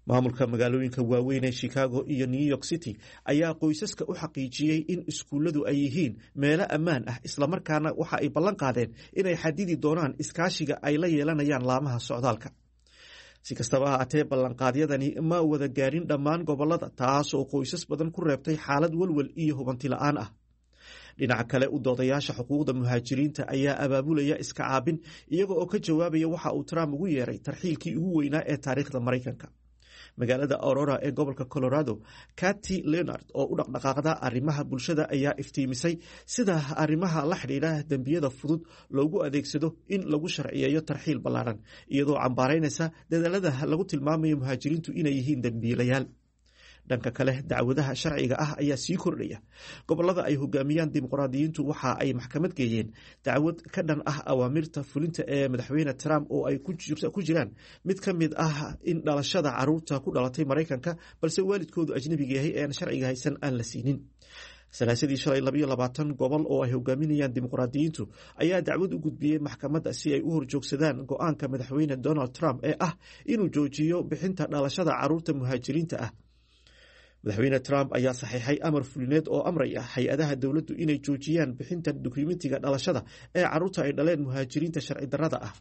Maamulka magaalooyinka waaweyn ee Chicago iyo New York City ayaa qoysaska u xaqiijiyey in iskuulladu ay yihiin meelo ammaan ah, islamarkaana waxa ay ballan qaadeen inay xadidi doonaan iskaashiga ay la yeelanayaan laamaha socdaalka. Si kastaba ha haatee, ballanqaadyadani ma wada gaarin dhammaan gobolada, taas oo qoysas badan ku reebtay xaalad welwel iyo hubanti la'aan ah. Dhinaca kale, u doodayaasha xuquuqda muhaajiriinta ayaa abaabulaya iska caabin, iyaga oo ka jawaabaya waxa uu Trump ugu yeeray tarxiilkii ugu weynaa ee taariikhda Maraykanka. Magaalada Aurora ee gobolka Colorado, Cathy Leonard oo u dhaqdhaqaaqda arrimaha bulshada ayaa iftiimisay sida arrimaha la xidhiidha dembiyada fudud loogu adeegsado in lagu sharciyeeyo tarxiil ballaaran, iyadoo cambaaraynaysa dadaalada lagu tilmaamayo muhaajiriintu inay yihiin dembiilayaal. Dhanka kale, dacwadaha sharciga ah ayaa sii kordhaya. Gobolada ay hogaamiyaan dimuqraadiyiintu waxa ay maxkamad geeyeen dacwad ka dhan ah awaamirta fulinta ee madaxweyne Trump, oo ay ku jiraan mid ka mid ah in dhalashada caruurta ku dhalatay Maraykanka balse waalidkoodu ajnabiga yahay ee aan sharciga haysan aan la siinin. Salaasadii shalay, labayo labaatan gobol oo ay hogaaminayaan dimuqraadiyiintu ayaa dacwad u gudbiyey maxkamadda si ay u horjoogsadaan go'aanka madaxweyne Donald Trump ee ah inuu joojiyo bixinta dhalashada caruurta muhaajiriinta ah. Madaxweyne Trump ayaa saxiixay amar fulineed oo amraya hay-adaha dowladdu inay joojiyaan bixinta dukumentiga dhalashada ee caruurta ay dhaleen muhaajiriinta sharci darrada ah.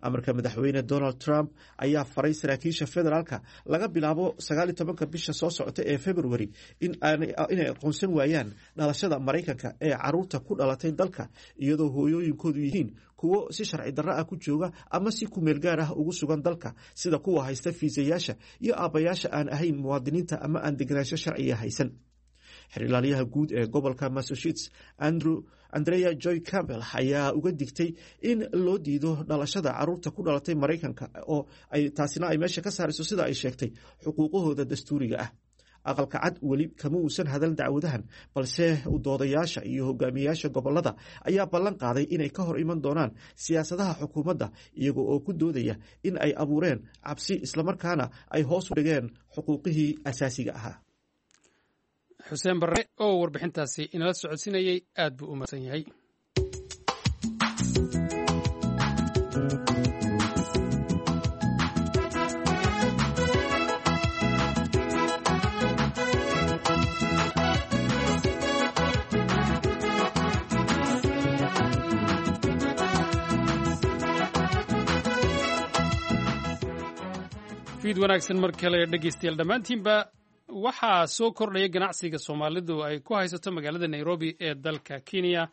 Amarka madaxweyne Donald Trump ayaa faray saraakiisha federaalka laga bilaabo sagaal iyo tobanka bisha soo socota ee February inay aqoonsan waayaan dhalashada Maraykanka ee caruurta ku dhalatay dalka iyadoo hooyooyinkoodu yihiin kuwo si sharci darro ah ku jooga ama si kumeel gaar ah ugu sugan dalka, sida kuwa haysta fiisayaasha, iyo aabbayaasha aan ahayn muwaadiniinta ama aan degenaansho sharciga haysan. Xeer ilaaliyaha guud ee gobolka Massachusetts, Andrew Andrea Joy Campbell, ayaa uga digtay in loo diido dhalashada caruurta ku dhalatay Maraykanka oo ay taasina ay meesha ka saarayso, sida ay sheegtay, xuquuqahooda dastuuriga ah. Aqalka Cad weli kama uusan hadal dacwadahan, balse doodayaasha iyo hogaamiyayaasha gobolada ayaa ballan qaaday inay ka hor iman doonaan siyaasadaha xukuumadda, iyaga oo ku doodaya in ay abuureen cabsi islamarkaana ay hoos u dhigeen xuquuqihii asaasiga ahaa.
Xuseen Barre oo warbixintaasi inala socodsiinayey aad buu u mahadsan yahay. Fiid wanaagsan mar kale, dhegeystayaal dhammaantiinba. Waxaa soo kordhaya ganacsiga Soomaalidu ay ku haysato magaalada Nairobi ee dalka Kenya.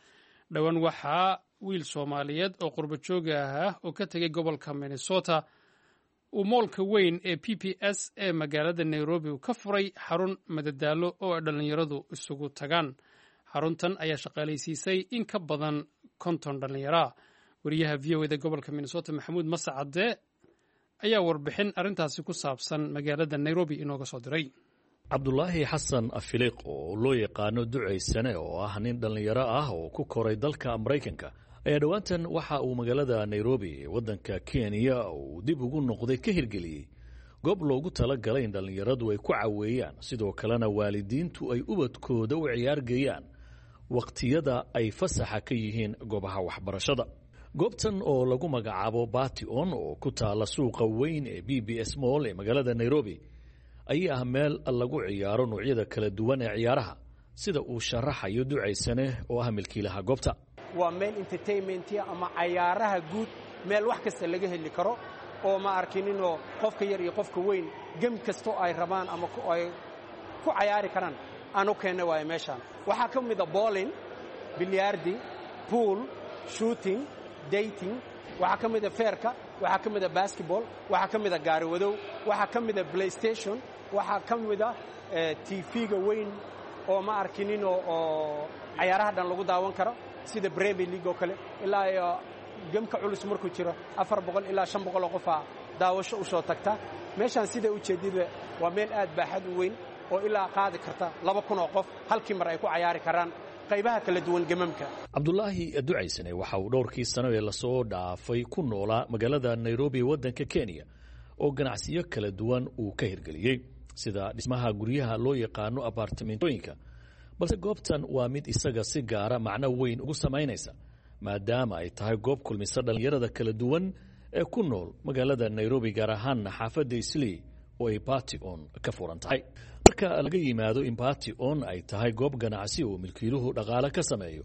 Dhowaan waxaa wiil Soomaaliyeed oo qurbo jooga ah oo ka tegay gobolka Minnesota uu moolka weyn ee P P S ee magaalada Nairobi uu ka furay xarun madadaalo oo ay dhallinyaradu isugu tagaan. Xaruntan ayaa shaqaalaysiisay in ka badan konton dhallinyaro ah. Wariyaha V O E da gobolka Minnesota, Maxamuud Mascade, ayaa warbixin arrintaasi ku saabsan magaalada Nairobi inooga soo diray.
Cabdulaahi Xasan Afiliiq, oo loo yaqaano Ducaysane, oo ah nin dhallinyaro ah oo ku koray dalka Maraykanka, ayaa dhowaantan waxa uu magaalada Nairobi ee waddanka Kenya uu dib ugu noqday ka hirgeliyey goob loogu talagalay in dhallinyaradu ay ku caweeyaan, sidoo kalena waalidiintu ay ubadkooda u ciyaargeeyaan wakhtiyada ay fasaxa ka yihiin goobaha waxbarashada. Goobtan oo lagu magacaabo Bation, oo ku taala suuqa weyn ee B B S Mall ee magaalada Nairobi, ayaa ah meel lagu ciyaaro noocyada kala duwan ee ciyaaraha, sida uu sharaxayo Ducaysane oo ah milkiilaha goobta.
Waa meel entertainment-ya ama cayaaraha guud, meel wax kasta laga heli karo oo ma arkininoo qofka yar iyo qofka weyn game kastoo ay rabaan ama ay ku cayaari karaan aan u keenna waayo. Meeshaan waxaa ka mida bowling, billiard, pool, shooting, dating, waxaa ka mida feerka, waxaa ka mida basketball, waxaa ka mida gaari wadow, waxaa ka mida PlayStation, waxaa ka mida T V-ga weyn oo ma arkininoo oo cayaaraha dhan lagu daawan karo, sida Premier League oo kale. Ilaa iyo game-ka culus markuu jiro afar boqol ilaa shan boqol oo qofaa daawasho u soo tagta meeshaan. Sida ujeedida, waa meel aad baaxad u weyn oo ilaa qaadi karta laba kun oo qof halkii mar ay ku cayaari karaan qaybaha kala duwan game-amka.
Cabdulaahi Ducaysane waxa uu dhowrkii sano ee lasoo dhaafay ku noolaa magaalada Nairobi ee waddanka Kenya, oo ganacsiyo kala duwan uu ka hirgeliyey, sida dhismaha guryaha loo yaqaano abartimentooyinka, Balse goobtan waa mid isaga si gaara macno weyn ugu samaynaysa, maadaama ay tahay goob kulmisa dhallinyarada kala duwan ee ku nool magaalada Nairobi, gaar ahaanna xaafadda Islii oo ay Bati On ka furan tahay. Marka laga yimaado in Bati On ay tahay goob ganacsi oo milkiiluhu dhaqaale ka sameeyo,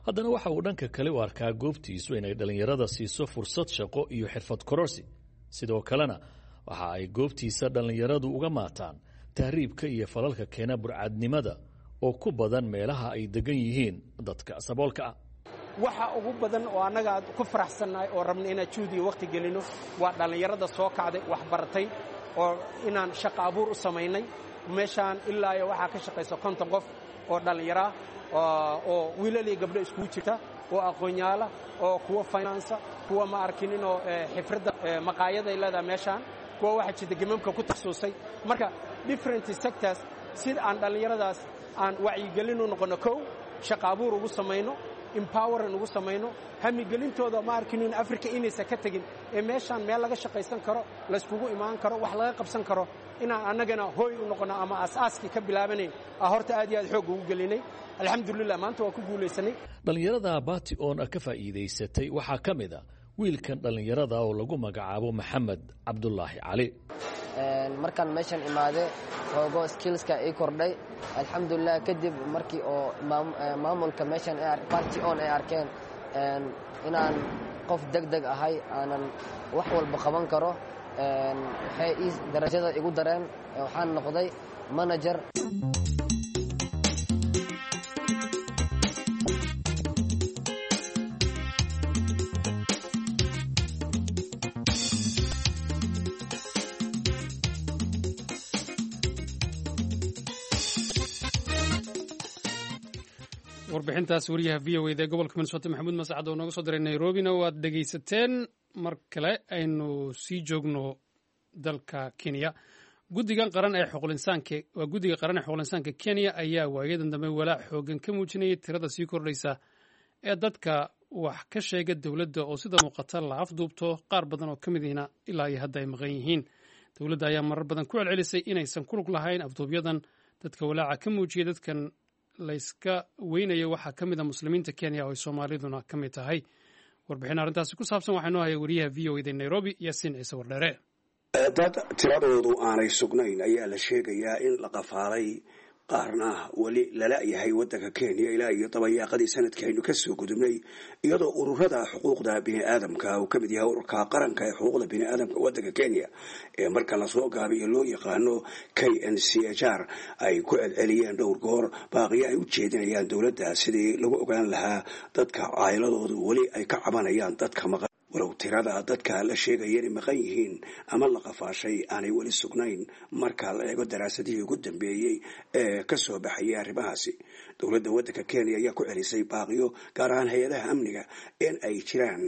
haddana waxa uu dhanka kale u arkaa goobtiisu inay dhallinyarada siiso fursad shaqo iyo xirfad kororsi. Sidoo kalena waxa ay goobtiisa dhallinyaradu uga maataan tahriibka iyo falalka keena burcadnimada oo ku badan meelaha ay degan yihiin dadka saboolka ah.
Waxa ugu badan oo annaga aad ku faraxsannahay oo rabna inaan juhdi iyo wakhti gelino waa dhallinyarada soo kacday, wax baratay, oo inaan shaqo abuur u samaynay. Meeshaan ilaa iyo waxaa ka shaqaysa konton qof oo dhallinyaro ah, oo wiilal iyo gabdho iskugu jirta, oo aqoonyaala, oo kuwa finansa, kuwa ma arkininoo xifradda maqaayaday leedahay meeshaan, kuwa waxaa jirta gemamka ku takhasusay. Marka different sectors, sida aan dhallinyaradaas aan wacyigelin u noqonno, kow shaqo abuur ugu samayno, empoweran ugu samayno, hamigelintooda ma arkinin Africa inaysan ka tegin ee meeshaan meel laga shaqaysan karo, layskugu imaan karo, wax laga qabsan karo, inaan annagana hooy u noqono ama aasaaskii ka bilaabanayn a horta aad iyo aad xoog ugu gelinay. Alxamdulilah, maanta waa ku guulaysanay.
Dhallinyarada Bati On ka faa'iidaysatay waxaa ka mid a wiilkan dhallinyarada oo lagu magacaabo Maxamed Cabdulaahi Cali.
Markaan meeshan imaade, xoogo skillska ii kordhay, alxamdulilah. Kadib markii oo maamulka meeshan Party On ay arkeen inaan qof deg deg ahay, aanan wax walba qaban karo, waxay ii darajada igu dareen, waxaan noqday manager.
Warbixintaas wariyaha V O eda ee gobolka Minnesota Maxamuud Mascad oo nooga soo diray Nairobina waad dhegaysateen. Mar kale aynu sii joogno dalka Kenya. Guddigan qaran ee xuquuqinsaanka, waa guddiga qaran ee xuquuqinsaanka Kenya, ayaa waayadan dambe walaac xoogan ka muujinayay tirada sii kordhaysa ee dadka wax ka sheega dowladda oo sida muuqata la afduubto, qaar badan oo ka mid ihina ilaa iyo hadda ay maqan yihiin. Dowladda ayaa marar badan ku celcelisay inaysan ku lug lahayn afduubyadan. Dadka walaaca ka muujiyay dadkan layska weynayo waxaa ka mid a muslimiinta Kenya oo ay Soomaaliduna ka mid tahay. Warbixin arrintaasi ku saabsan waxaa noo haya wariyaha V O eda Nairobi, Yaasiin Ciise Wardheere.
Dad tiradoodu aanay sugnayn ayaa la sheegayaa in la qafaalay, qaarna weli lala yahay waddanka Kenya ilaa iyo dabayaaqadii sanadkii aynu kasoo gudubnay, iyadoo ururada xuquuqda biniaadamka uu ka mid yahay ururka qaranka ee xuquuqda biniaadamka waddanka Kenya ee marka lasoo gaabiyo loo yaqaano K N C H R ay ku celceliyeen dhowr goor baaqiyo ay u jeedinayaan dowladda sidii lagu ogaan lahaa dadka caayiladoodu weli ay ka cabanayaan dadka maqan, walow tirada dadka la sheegaya inay maqan yihiin ama la qafaashay aanay weli sugnayn marka la eego daraasadihii ugu dambeeyey ee ka soo baxayay arrimahaasi. Dowladda waddanka Kenya ayaa ku celisay baaqiyo, gaar ahaan hay-adaha amniga, in ay jiraan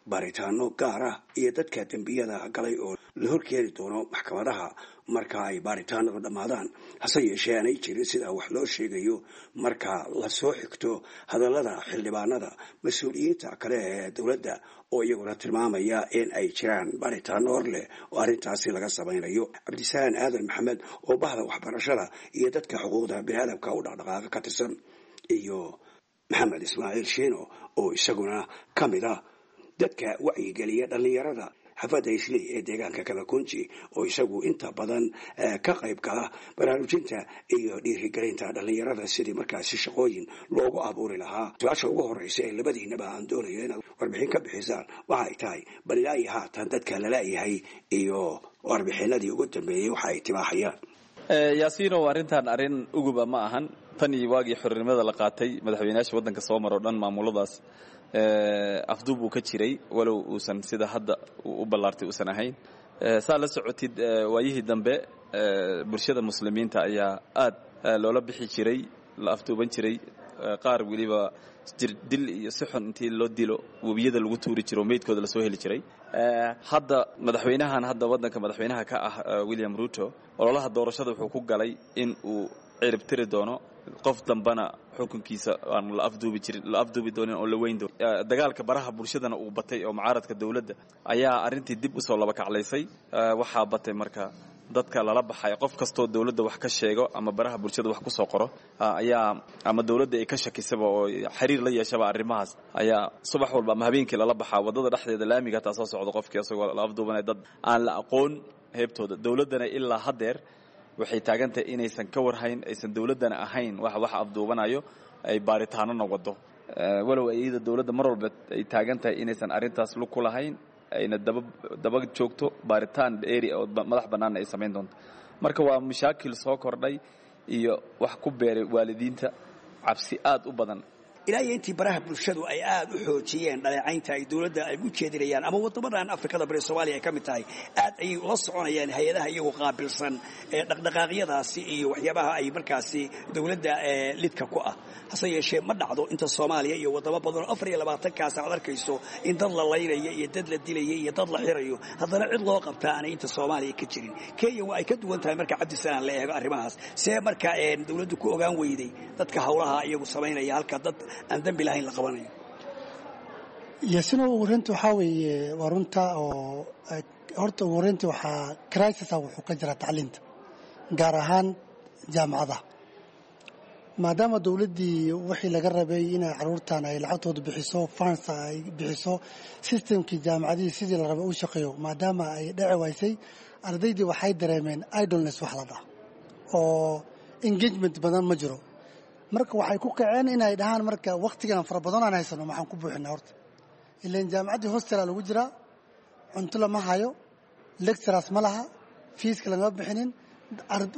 baaritaano gaar ah iyo dadka dembiyada galay oo la horkeeni doono maxkamadaha marka ay baaritaanadu dhammaadaan. Hase yeeshee aanay jirin sidaa wax loo sheegayo marka la soo xigto hadallada xildhibaanada, mas-uuliyiinta kale ee dowladda oo iyaguna tilmaamaya in ay jiraan baaritaano hor leh oo arrintaasi laga samaynayo. Cabdisalaan Aadan Maxamed oo bahda waxbarashada iyo dadka xuquuqda biniaadamka u dhaqdhaqaaqa ka tirsan, iyo Maxamed Ismaaciil Shiino oo isaguna ka mid ah dadka wacyigeliya dhallinyarada xaafadda Islii ee deegaanka Kabakunji, oo isagu inta badan ka qayb gala baraarujinta iyo dhiirigelinta dhallinyarada sidii markaasi shaqooyin loogu abuuri lahaa. Su-aasha ugu horeysa ee labadiinaba aan doonayo inaad warbixin ka bixisaan waxa ay tahay, bal ilaa iyo haatan dadka lala-yahay iyo warbixinadii ugu dambeeyey waxa ay tibaaxayaan.
Yaasiinow, arrintan arrin uguba ma ahan. Tan iyo waagii xornimada la qaatay, madaxweynayaasha waddanka soo maro dhan maamuladaas afduub uu ka jiray, walow uusan sida hadda u ballaartay uusan ahayn. Saa la socotid, waayihii dambe bulshada muslimiinta ayaa aad loola bixi jiray, la afduuban jiray, qaar weliba jirdil iyo si xun intii loo dilo webiyada lagu tuuri jiro, meydkooda lasoo heli jiray. Hadda madaxweynahan hadda waddanka madaxweynaha ka ah, William Ruto, ololaha doorashada wuxuu ku galay in uu cirib tiri doono, qof dambana xukunkiisa aan la afduubi jirin, la afduubi doonin oo la weyn doonin. Dagaalka baraha bulshadana uu batay oo mucaaradka dowladda ayaa arrintii dib usoo laba kaclaysay. Waxaa batay marka Dadka lala baxay, qof kastoo dowladda wax ka sheego ama baraha bulshada wax ku soo qoro ayaa ama dowladda ay ka shakisaba oo xiriir la yeeshaba arrimahaas ayaa subax walba ama habeenkii lala baxaa waddada dhexdeeda laamiga hataa soo socda qofkii isagoo la afduubanaya, dad aan la aqoon heebtooda. Dowladdana ilaa haddeer waxay taagan tahay inaysan ka warhayn, aysan dowladdana ahayn wax wax afduubanayo, ay baaritaanona wado, walow iyada dowladda mar walba ay taagan tahay inaysan arrintaas lug ku lahayn, ayna daba daba joogto, baaritaan dheeri oo madax bannaanna ay samayn doonto. Marka waa mashaakil soo kordhay iyo wax ku beeray waalidiinta cabsi aad u badan.
Ilaa iyo intii baraha bulshadu ay aad u xoojiyeen dhaleecaynta ay dowladda ay u jeedinayaan ama waddamadan Afrikada Bari, Soomaaliya ay ka mid tahay, aad ayay ula soconayaan hay-adaha iyagu qaabilsan ee dhaqdhaqaaqyadaasi iyo waxyaabaha ay markaasi dowladda lidka ku ah. Hase yeeshee ma dhacdo inta Soomaaliya iyo waddamo badan oo afar iyo labaatankaas aad arkayso in dad la laynaya iyo dad la dilaya iyo dad la xirayo, haddana cid loo qabtaa aanay inta Soomaaliya ka jirin. Kenya waa ay ka duwan tahay marka Cabdisalaan la eego arrimahaas. See marka dowladdu ku ogaan weyday dadka howlaha iyagu samaynaya halka dad aan dambi lahayn la qabanayo?
Yaasino, ugu horeynta waxaa weeye waa runta oo horta ugu horeynta waxaa crisis ah wuxuu ka jiraa tacliinta, gaar ahaan jaamacadaha, maadaama dowladdii wixii laga rabay inay caruurtan ay lacagtooda bixiso, funds ay bixiso, systemkii jaamacadihii sidii la rabay u shaqeeyo, maadaama ay dhici waysay, ardaydii waxay dareemeen idleness wax la dhaha oo engagement badan ma jiro. Marka waxay ku kaceen inay dhahaan marka wakhtigan fara badan aan haysano maxaan ku buuxinaa? Horta ilaan jaamacaddii hostela lagu jiraa, cunto lama hayo, lecturers ma laha, feeska lagama bixinin.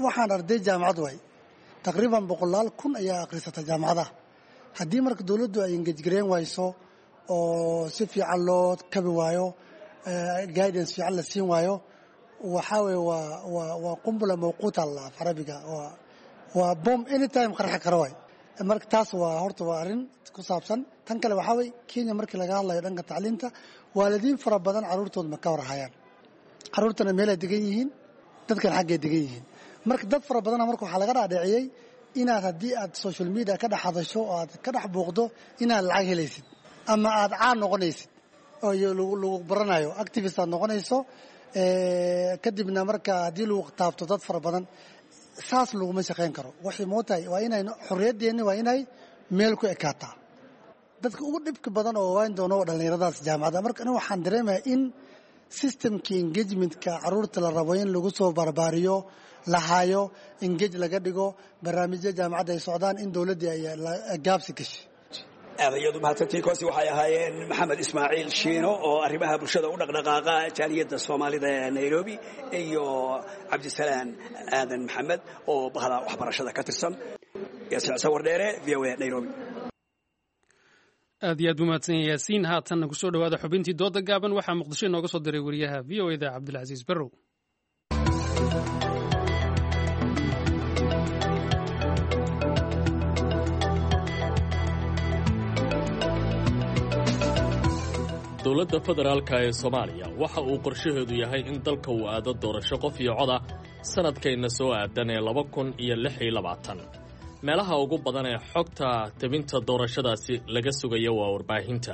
Waxaan arday jaamacad waay, taqriiban boqolaal kun ayaa akhrisata jaamacadaha. Haddii marka dowladdu ay engage gareyn wayso oo si fiican loo kabi waayo, guidance fiican la siin waayo, waxaa weye waa waa waa qumbula mawquuta la af Carabiga, waa waa bomb anytime qarxi karo waay. Marka taas waa horta waa arrin ku saabsan. Tan kale waxaa weye Kenya markii laga hadlayo dhanka tacliinta, waalidiin fara badan carruurtooda ma ka warhayaan, carruurtana meelay degan yihiin, dadkan xaggay degan yihiin. Marka dad fara badana marka waxaa laga dhaadhiciyey inaad haddii aad social media ka dhex hadasho oo aad ka dhex buuqdo inaad lacag helaysid ama aad caan noqonaysid oo lagu baranayo, activist aad noqonayso. Kadibna marka haddii lagu taabto dad fara badan, saas laguma shaqayn karo. Waxay mootahay waa inay xorriyadeenni waa inay meel ku ekaataa. Dadka ugu dhibka badan oo waan doono waa dhallinyaradaas jaamacadda. Marka aniga waxaan dareemayaa in systemkii engagementka carruurta la rabo in lagu soo barbaariyo la hayo, engage laga dhigo, barnaamijya jaamacadda ay socdaan, in dowladdii ay gaabsi gashay.
Aad ayaad u mahadsantihiin. Koasi waxay ahaayeen Maxamed Ismaaciil Shiino oo arrimaha bulshada u dhaqdhaqaaqa jaaliyadda Soomaalida ee Nairobi iyo Cabdisalaan Aadan Maxamed oo bahda waxbarashada ka tirsan. Yaasiin Sawardheere, V O A, Nairobi.
Aad iyo aad buu mahadsan yahay Yaasiin. Haatanna kusoo dhowaada xubintii dooda gaaban. Waxaa Muqdisho inooga soo diray wariyaha V O eda Cabdilcasiis Barrow.
Dowladda federaalka ee Soomaaliya waxa uu qorshaheedu yahay in dalka uu aado doorasho qof iyo coda sanadkayna soo aadan ee laba kun iyo lix iyo labaatan. Meelaha ugu badan ee xogta tebinta doorashadaasi laga sugayo waa warbaahinta.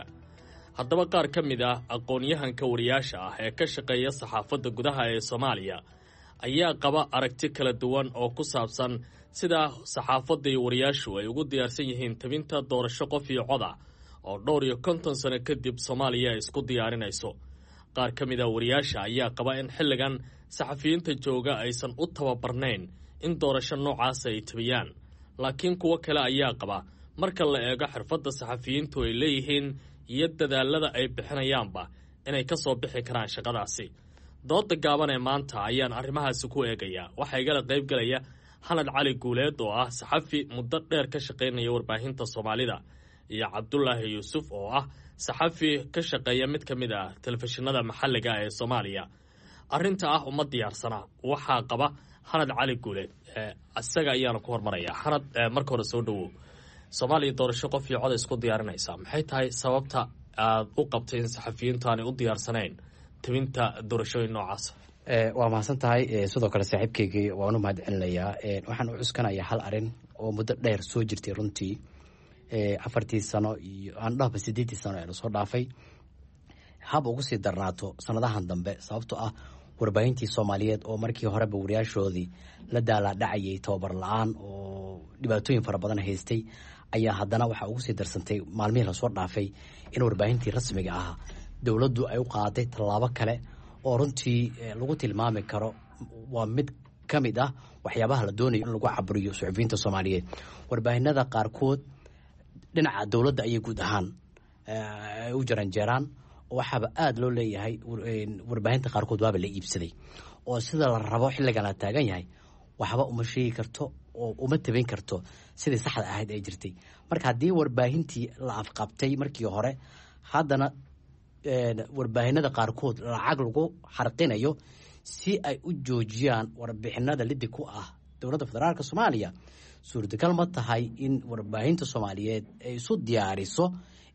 Haddaba qaar ka mid ah aqoon-yahanka wariyaasha ah ee ka shaqeeya saxaafadda gudaha ee Soomaaliya ayaa qaba aragti kala duwan oo ku saabsan sida saxaafadda iyo wariyaashu ay ugu diyaarsan yihiin tebinta doorasho qof iyo coda oo dhowr iyo konton sano kadib Soomaaliya ay isku diyaarinayso. Qaar ka mid a wariyaasha ayaa qaba in xilligan saxafiyiinta jooga aysan u tababarnayn in doorasho noocaas ay tabiyaan, laakiin kuwo kale ayaa qaba marka la eego xirfadda saxafiyiintu ay leeyihiin iyo dadaalada ay bixinayaanba inay ka soo bixi karaan shaqadaasi. Dooda gaaban ee maanta ayaan arrimahaasi ku eegayaa. Waxaa igala qaybgalaya Xanad Cali Guuleed oo ah saxafi muddo dheer ka shaqaynaya warbaahinta Soomaalida iyo Cabdulaahi Yuusuf oo ah saxafi ka shaqeeya mid ka mid ah telefishinada maxalliga ee Soomaaliya. Arrinta ah uma diyaarsana waxaa qaba Xanad Cali Guuleed, isaga ayaana ku hormaraya. Xanad, marka hore soo dhowow. Soomaaliya doorasho qof iyo cod isku diyaarinaysaa, maxay tahay sababta aad u qabtay in saxafiyiintu aanay u diyaarsanayn tebinta doorashooyin noocaas?
Waa mahadsan tahay. Sidoo kale saaxiibkeygii waan u mahad celinayaa. Waxaan u cuskanayaa hal arin oo muddo dheer soo jirtay runtii, afartii sano iyo aan dhahba sideeddii sano ee lasoo dhaafay, hab ugu sii darnaato sanadahan dambe, sababtoo ah Warbaahintii Soomaaliyeed oo markii horeba wariyaashoodii la daalaadhacayay tababar la-aan oo dhibaatooyin fara badan haystay, ayaa haddana waxaa ugu sii darsantay maalmihii lasoo dhaafay in warbaahintii rasmiga ah dowladdu ay u qaaday tallaabo kale oo runtii lagu tilmaami karo waa mid ka mid ah waxyaabaha la doonayo in lagu caburiyo suxufiyiinta Soomaaliyeed. Warbaahinada qaarkood dhinaca dowladda ayay guud ahaan ay u jaranjeeraan, waxaaba aada loo leeyahay warbaahinta qaarkood waaba la iibsaday, oo sida la rabo xilligan la taagan yahay waxba uma sheegi karto oo uma tabin karto sidii saxda ahayd ay jirtay. Marka haddii warbaahintii la afqabtay markii hore, haddana warbaahinada qaarkood lacag lagu xarqinayo si ay u joojiyaan warbixinada lidi ku ah dowladda federaalk Soomaaliya, suurtagal ma tahay in warbaahinta Soomaaliyeed ay isu diyaariso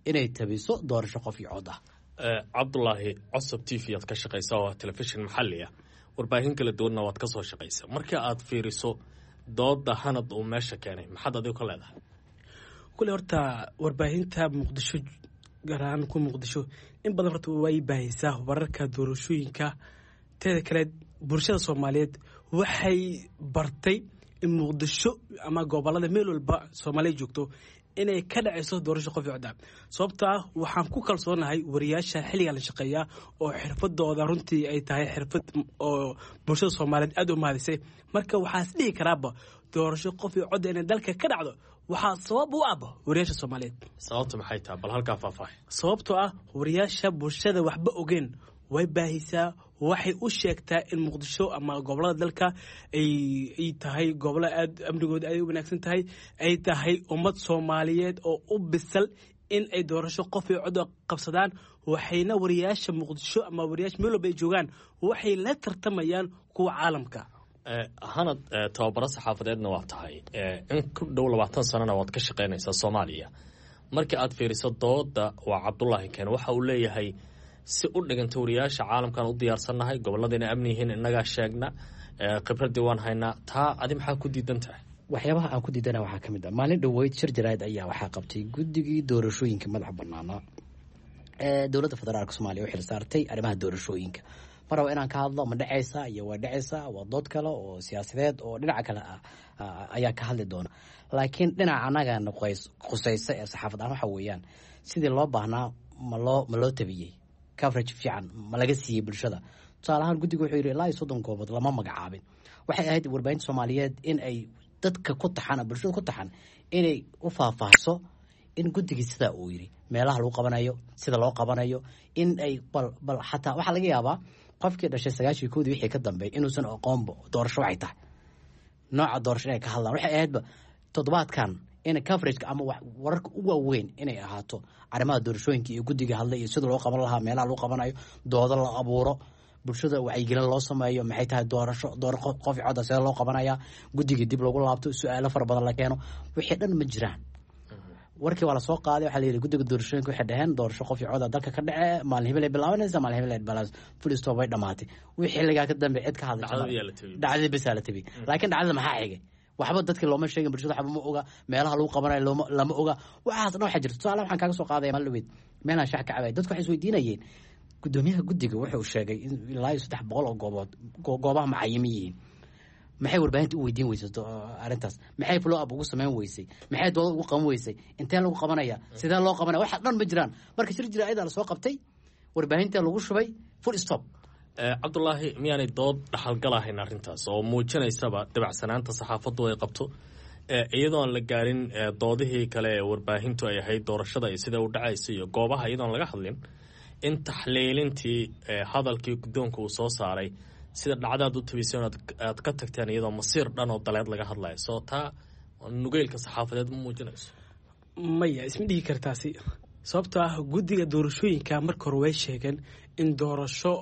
inay tabiso doorasho qof iyo cod ah?
Cabdulaahi, Cosob T V aad ka shaqaysa oo ah telefishin maxalli ah, warbaahin kala duwanna waad ka soo shaqaysa. Marka aad fiiriso dooda Hanad uu meesha keenay, maxaad adigu ka leedahay?
Kule horta warbaahinta Muqdisho, gaar ahaan ku Muqdisho, in badan horta way baahisaa wararka doorashooyinka. Teeda kale, bulshada Soomaaliyeed waxay bartay in Muqdisho ama gobolada meel walba Soomaaliya joogto inay ka dhacayso doorasho qof iyo cod ah, sababto ah waxaan ku kalsoonahay wariyaasha xilligan la shaqeeya oo xirfadooda runtii ay tahay xirfad oo bulshada Soomaaliyeed aada u mahadisay. Marka waxaa is dhihi karaaba doorasho qof iyo codda inay dalka ka dhacdo waxaa sabab u ahba wariyaasha Soomaaliyeed.
Sababta maxay tahay? Bal halkaa faahfaahay.
Sababtoo ah wariyaasha bulshada waxba ogeen way baahisaa, waxay u sheegtaa in Muqdisho ama gobolada dalka ay tahay gobolo aad amnigooda aad u wanaagsan tahay, ay tahay ummad Soomaaliyeed oo u bisal in ay doorasho qof iyo cod qabsadaan. Waxayna wariyaasha Muqdisho ama wariyaasha meel walba ay joogaan waxay la tartamayaan kuwa caalamka.
Hanad, tababaro saxaafadeedna waa tahay, in ku dhow labaatan sanana waad ka shaqaynaysaa Soomaaliya. Marka aad fiiriso dooda waa Cabdulaahi keen, waxa uu leeyahay si u dhiganta wariyaasha caalamkan u diyaarsannahay, gobolladayna amni yihiin, innagaa sheegna, khibraddii waan haynaa. Taa adi maxaa ku diidan tahay?
Waxyaabaha aan ku diidana waxaa ka mid ah, maalin dhoweyd shir jaraa'id ayaa waxaa qabtay guddigii doorashooyinka madaxa banaanaa ee dowladda federaalk Soomaaliya u xil saartay arrimaha doorashooyinka. Ma rabo inaan ka hadlo ma dhacaysa iyo waa dhacaysa, waa dood kale oo siyaasadeed oo dhinaca kale ah ayaa ka hadli doona, laakiin dhinaca annagana qusaysa ee saxaafad ahaan waxa weeyaan sidii loo baahnaa ma loo ma loo tabiyey? Coverage fiican ma laga siiyey bulshada? Tusaale ahaan, guddiga wuxuu yidhi ilaa iyo soddon goobood lama magacaabin. Waxay ahayd warbaahinta Soomaaliyeed in ay dadka ku taxan, bulshada ku taxan, inay u faahfaahso in guddigii sidaa uu yidhi meelaha lagu qabanayo, sida loo qabanayo, in ay bal bal xataa waxaa laga yaabaa qofkii dhashay sagaashii koodii wixii ka dambeeyay inuusan aqoonba doorasho waxay tahay, nooca doorasho inay ka hadlaan. Waxay ahaydba toddobaadkan in coverageka ama wararka u waaweyn inay ahaato arrimaha doorashooyinka iyo guddiga hadlay iyo sida loo qaban lahaa, meelaha lagu qabanayo, doodo la abuuro, bulshada wacyigelin loo sameeyo, maxay tahay doorasho, door qof codda sida loo qabanaya, guddigii dib loogu laabto, su-aalo fara badan la keeno. Wixii dhan ma jiraan. Warkii waa lasoo qaaday, waxaa la yidhi guddiga doorashooyinka waxay dhaheen doorasho qof iyo coda dalka ka dhacee maalin hebel ay bilaabanaysa, maalin hebel ay bilaabanaysa, full stop, way dhamaatay. Wixii xilligaa ka dambe cid ka hadlay, dhacdadii bisaa la tabiyey, laakiin dhacdada maxaa xigay? Waxba dadkii looma sheegin, bulshada waxba ma oga, meelaha lagu qabanayo looma lama oga. Waxaas dhan waxaa jirta. Tusaale waxaan kaaga soo qaadaya, maalin dhaweyd meelaan shax ka cabaya, dadku waxay isweydiinayeen guddoomiyaha guddiga wuxuu sheegay in ilaa iyo saddex boqol oo goobood goobaha macayimi yihiin, maxay warbaahinta u weydiin weysay arrintaas? Maxay follow up ugu samayn weysay? Maxay dooda ugu qaban weysay? Intee lagu qabanaya? Sidee loo qabanaya? Waxa dhan ma jiraan. Marka shir jira ayadaa lasoo qabtay, warbaahinta lagu shubay, full stop.
Cabdulaahi, miyaanay dood dhaxalgal ahayn arrintaas oo muujinaysaba dabacsanaanta saxaafaddu ay qabto, iyadoon la gaarin doodihii kale ee warbaahintu ay ahayd doorashada iyo sida u dhacaysa iyo goobaha, iyadoon laga hadlin in taxliilintii hadalkii guddoonka uu soo saaray sida dhacdaad u tabiseen aad ka tagteen iyadoo masiir dhan oo daleed laga hadlayo, soo taa nugeylka saxaafadeed ma muujinayso?
Maya, isma dhihi kartaasi, sababtoo ah guddiga doorashooyinka marka hore way sheegeen in doorasho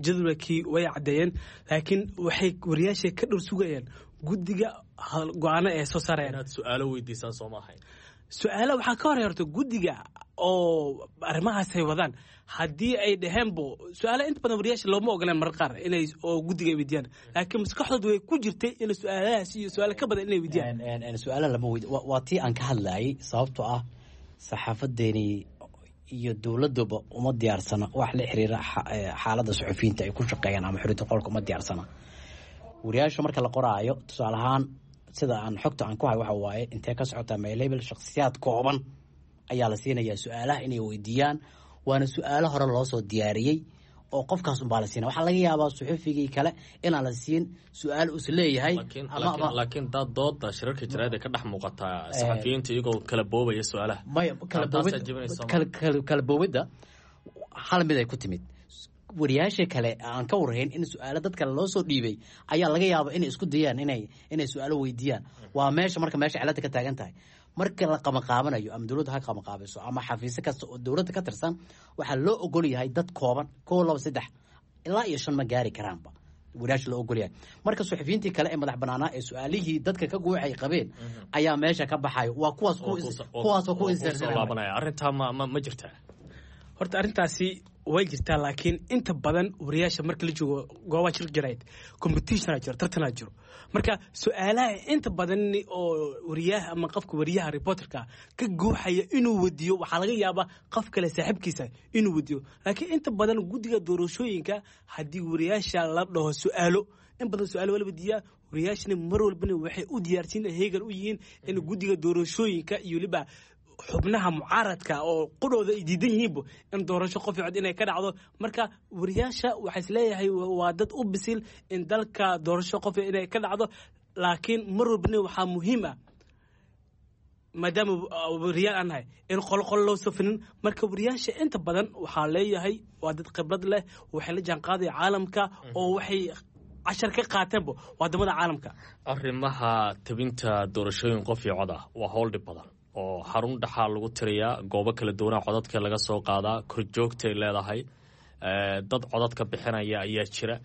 jadwalkii way caddeeyeen, laakiin waxay wariyaasha ka dhowr sugayeen guddiga go-aano ee soo saarayaan.
Inaad su-aalo weydiisaan soo ma ahayn?
Su-aala waxaa ka horey horta guddiga oo arrimahaas ay wadaan haddii ay dhaheenbo su-aala inta badan wariyaasha looma ogoleen marar qaar inay oo guddiga ay weydiiyaan, laakiin maskaxdooda way ku jirtay in su-aalahaas iyo su-aalo ka badan inay weydiiyaan.
Su-aala lama weydi, waa tii aan ka hadlayay, sababtoo ah saxaafadeeni iyo dowladuba uma diyaarsana wax la xiriira xaaladda suxufiyiinta ay ku shaqeeyaan ama xoriyadda qolka uma diyaarsana. Wariyaasha marka la qoraayo, tusaale ahaan, sida aan xogta aan ku hayo waxa waaye intee ka socotaa maylabel shakhsiyaad kooban ayaa la siinayaa su-aalaha inay weydiiyaan, waana su-aalo hore loo soo diyaariyey oo qofkaas unbaa la siina. Waxaa laga yaabaa suxufigii kale inaan la siin su-aal us leeyahay.
Laakiin daad dooda shirarka jaraa'id ay ka dhex muuqataa saxafiyiinta iyagoo kala boobaya su-aalaha.
Maya, kala boobidda hal mid ay ku timid. Wariyaasha kale aan ka warhayn in su-aalo dad kale loo soo dhiibay ayaa laga yaaba inay isku dayaan inay inay su-aalo weydiiyaan. Waa meesha marka meesha cilada ka taagan tahay. Marka la qamaqaabanayo, ama dowladda ha qamaqaabiso ama xafiisyo kasta oo dowladda ka tirsan, waxaa loo ogol yahay dad kooban, kow, laba, saddex ilaa iyo shan ma gaari karaanba wariyaasha loo ogol yahay. Marka suxufiyiintii kale ee madax banaanaa ee su-aalihii dadka ka guuxay qabeen ayaa meesha ka baxayo. Waa kuwaas kuwaasoo ku
laabanaya. Arrintaa ma ma ma jirtaa?
Horta arrintaasi way jirtaa, laakiin inta badan wariyaasha marka la joogo goobaha shir jarayd competitiona jiro, tartanaa jiro. Marka su-aalaha inta badan oo wariyaha ama qofka wariyaha reporterka ka guuxaya inuu wadiyo, waxaa laga yaabaa qof kale saaxiibkiisa inuu wadiyo. Laakiin inta badan guddiga doorashooyinka haddii wariyaasha la dhaho su-aalo, in badan su-aalo waa la wadiyaa. Wariyaashana mar walbana waxay u diyaarsiin heegan u yihiin in guddiga doorashooyinka iyo weliba xubnaha mucaaradka oo qudhooda ay diidan yihiinba in doorasho qof cod inay ka dhacdo. Marka wariyaasha waxaa isleeyahay waa dad u bisil in dalka doorasho qof inay ka dhacdo. Laakiin mar walbana waxaa muhiim ah, maadaama wariyaal aan nahay, in qolo qolo loo safinin. Marka wariyaasha inta badan waxaa leeyahay waa dad khibrad leh, waxay la jaanqaadaya caalamka oo waxay cashar ka qaateenba wadamada caalamka.
Arrimaha tabinta doorashooyin qof iyo cod ah waa howl dhib badan oo xarun dhaxaa lagu tiriyaa, goobo kala duwanaa codadka laga soo qaadaa, korjoogtay leedahay, dad codadka bixinaya ayaa jira,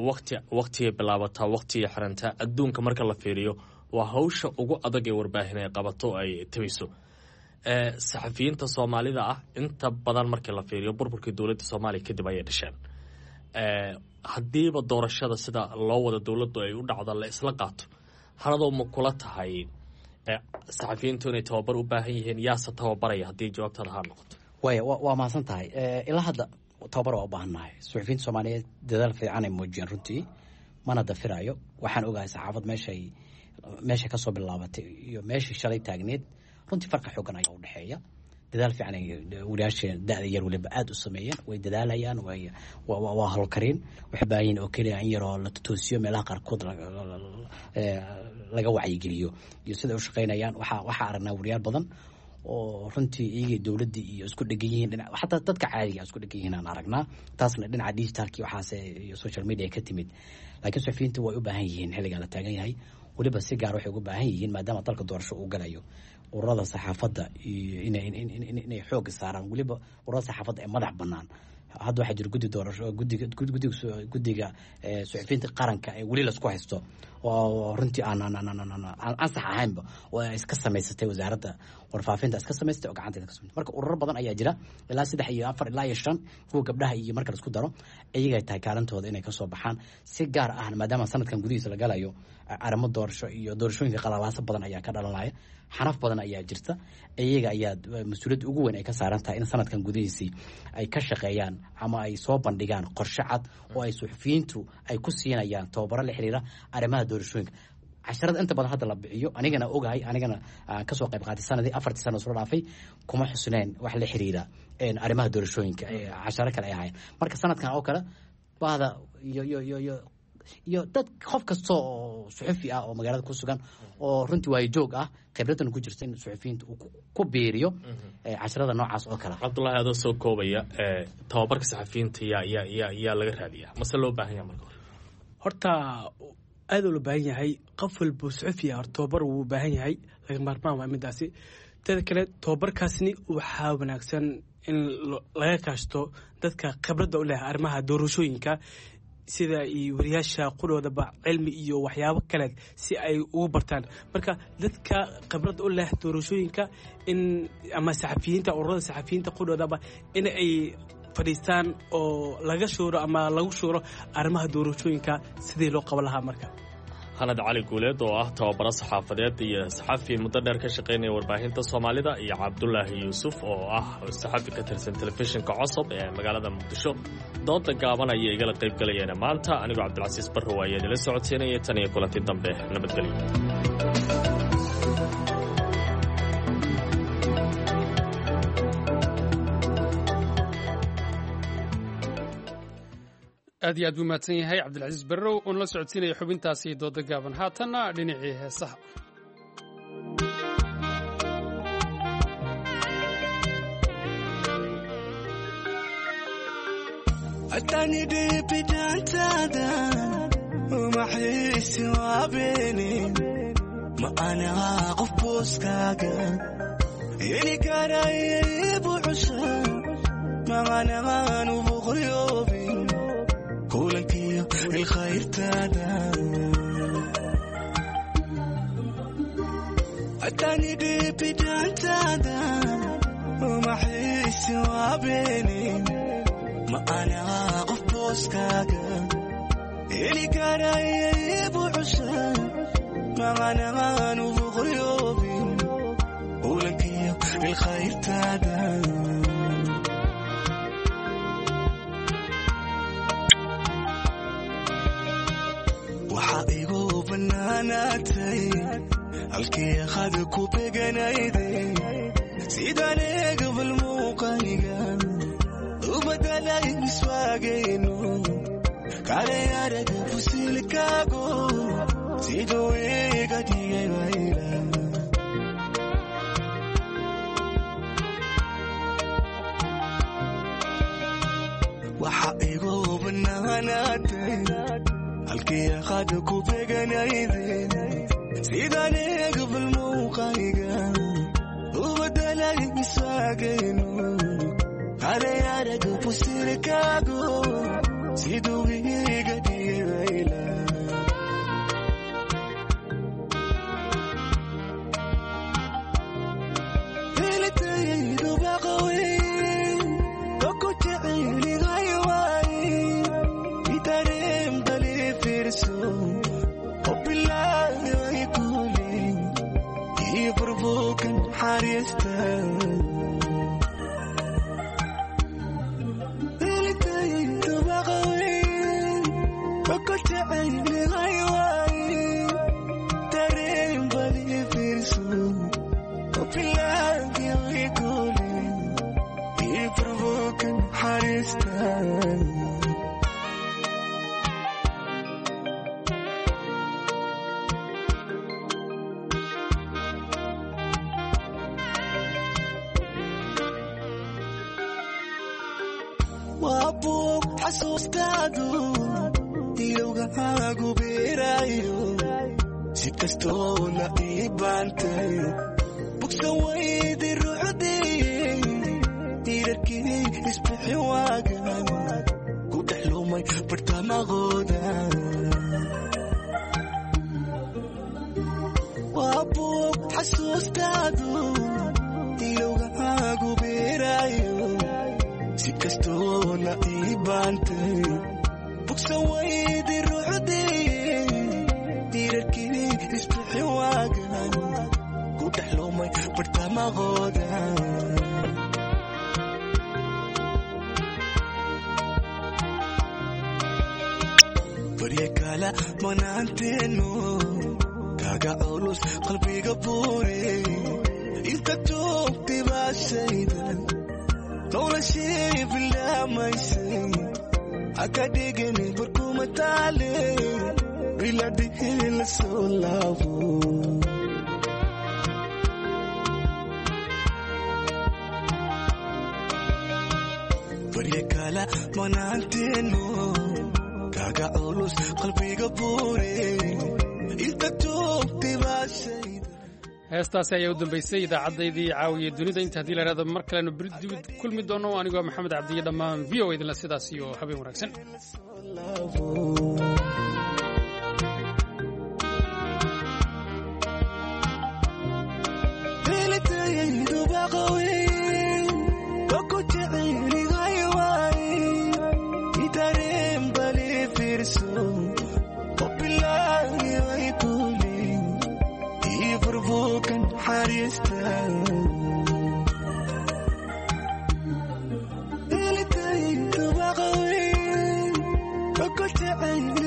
wati waqtigay bilaabataa, waqtigay xirantaa. Adduunka marka la fiiriyo waa hawsha ugu adag ee warbaahin ay qabato ay tabiso. Saxafiyiinta soomaalida ah inta badan markii la fiiriyo burburkii dowladda soomaaliya kadib ayay dhasheen. Haddiiba doorashada sida loo wada dowladdu ay u dhacdo la isla qaato, haladoo ma kula tahay saxafiyiintu inay tababar u baahan yihiin? Yaase tababaraya haddii jawaabtaada haa noqoto?
Waaya, waa mahadsan tahay. Ilaa hadda tababar waa u baahannahay. Suxufiyiinta soomaaliyeed dadaal fiican ay muujiyeen runtii, mana dafirayo. Waxaan ogahay saxaafad meeshay meeshay kasoo bilaabatay iyo meeshii shalay taagneed runtii farqi xoogan ayaa udhexeeya. Dadaal fiican ay wariyaasha da-da yar waliba aada u sameeyeen, way dadaalayaan, way waa howlkariin. Waxay baahan yihin oo keliya in yaroo la totoosiyo, meelaha qaarkood laga wacyigeliyo iyo siday u shaqeynayaan. Waxaa waxaa aragnaa wariyaal badan oo runtii iyagii dowladdii iyo isku dhegan yihiin dhina, xataa dadka caadiga isku dhegan yihiin aan aragnaa. Taasna dhinaca digitalki waxaase iyo social media ka timid. Laakiin suxufiyiinta way u baahan yihiin xilligan la taagan yahay, weliba si gaar waxay uga baahan yihiin maadaama dalka doorasho uu galayo, ururada saxaafadda iyo inay xooga saaraan, weliba ururada saxaafadda ee madax bannaan. Hadda waxaa jira guddi doorasho, gudiga gudiga guddiga suxufiyiinta qaranka ee weli lasku haysto oo runtii aan aan aan aan ansax ahaynba oo ay iska samaysatay wasaaradda warfaafinta iska samaysatay oo gacanteeda ka samaysatay. Marka ururo badan ayaa jira, ilaa saddex iyo afar ilaa iyo shan, kuwa gabdhaha iyo marka laisku daro iyagay tahay kaalintooda inay kasoo baxaan. Si gaar ah maadaama sanadkan gudihiisa la galayo arrimo doorasho iyo doorashooyinka, qalalaasa badan ayaa ka dhalanaya, xanaf badan ayaa jirta. Iyaga ayaa mas-uuliyadda ugu weyn ay ka saaran tahay in sanadkan gudihiisii ay ka shaqeeyaan ama ay soo bandhigaan qorshe cad oo ay suxufiyiintu ay ku siinayaan tababaro la xiriira arrimaha doorashooyinka. Casharada inta badan hadda la bixiyo, anigana ogahay, anigana aan kasoo qayb qaatay sanadii afartii sano soo dhaafay, kuma xusneen wax la xiriira arrimaha doorashooyinka, casharo kale ay ahaayeen. Marka sanadkan oo kale bahda iyo iyo iyo iyo iyo dad qof kasta oo suxufi ah oo magaalada ku sugan oo runtii waayo joog ah, khibraddan ku jirta, in suxufiyiinta uu ku biiriyo casharada noocaas oo kale.
Cabdullaahi, adoo soo koobaya, tababarka saxafiyiinta yaa yaa yaa yaa laga raadiyaa mase loo baahan yaha marka hore?
Horta aad oo loo baahan yahay, qof walbo suxufi ah horta tababar wuu baahan yahay, laga maarmaan waa midaasi. Teeda kale tababarkaasni waxaa wanaagsan in laga kaashto dadka khibradda u leh arrimaha doorashooyinka, sida iyo wariyaasha qudhoodaba cilmi iyo waxyaabo kale si ay ugu bartaan. Marka dadka khibradda u leh doorashooyinka in ama saxafiyiinta, ururada saxafiyiinta qudhoodaba in ay fadhiistaan oo laga shuuro ama lagu shuuro arrimaha doorashooyinka sidii loo qaban lahaa marka.
Hanad Cali Guuleed oo ah tababaro saxaafadeed iyo saxafi muddo dheer ka shaqaynaya warbaahinta Soomaalida, iyo Cabdulaahi Yuusuf oo ah saxafi ka tirsan telefishinka Cosab ee magaalada Muqdisho. Dooda gaaban ayay igala qayb galayeen maanta. Anigoo Cabdilcasiis Barrow ayaa idinla socodsiinaya. Tan iyo kulanti dambe, nabadgelyo.
Aad iyo aad buu mahadsan yahay Cabdilcasiis Barrow oon la socodsiinaya xubintaasi dooda gaaban. Haatanna dhinacii heesaha.
Kulankiyo ilkhayrtaada atani dhibidaantaada umaxiisi waabeeni ma anaa qof booskaaga heli karaya ibucusha macanaan ubuqyoobin kulankiyo ilkhayrtaada. Waxaa igu bannaanaatay halkii qad ku beganayday sidaan eegabal muuqayga u badalay miswaagayno kale araga fusilkaago siduu iga dhigay wayla. Waxaa igu bannaanaatay halkii qad ku beganayday sidaan eegabal muuqayga u badalay miswaagayno kale araga fusilkaago siduu iga dhigay wayla. Helitaydu baqaweyn oo ku jecelihay waay itareen bali fiirso oo bilaahi kulin ii furbukan xariista. Helitaydu baqaweyn oo ku jecelihay waay tareen bali fiirso oo bilaahi kulin ii furbukan xariista. Waa buug xasuustaadu ilowgaagu beerayo si kastoo la ii baantay bogsan weydi ruuxdii tiirarkii isbixin waagan ku dhex lumay bartamaqooda. Waa buug xasuustaadu ilowgaagu beerayo si kastoo la ii baantay bogsan weydi ruuxdii tiirarkii isbixin waagan ku dhex lumay bartamaqooda. Barya kala manaanteenu kaaga culus qalbiga buure inta joogtay baa shaydan noloshii bilaamaysay haka dhigani barkuma taale biladhihii la soo laabo. Barya kala manaanteenu kaaga culus qalbiga buure inta joogtay baa shaydan.
Heestaasi ayaa u dambaysay idaacaddayadii caawiya dunida. Inta haddii la ihahdo mar kalenu beri dib kulmi doono, anigoo Maxamed Cabdiyo dhammaan V O idinla sidaas iyo habeen wanaagsan.
Helitaydu baqaweyn oo ku jecelihay waay itareen bali fiirso oo bilaahi way Helitaydu baqaweyn, ku jecel.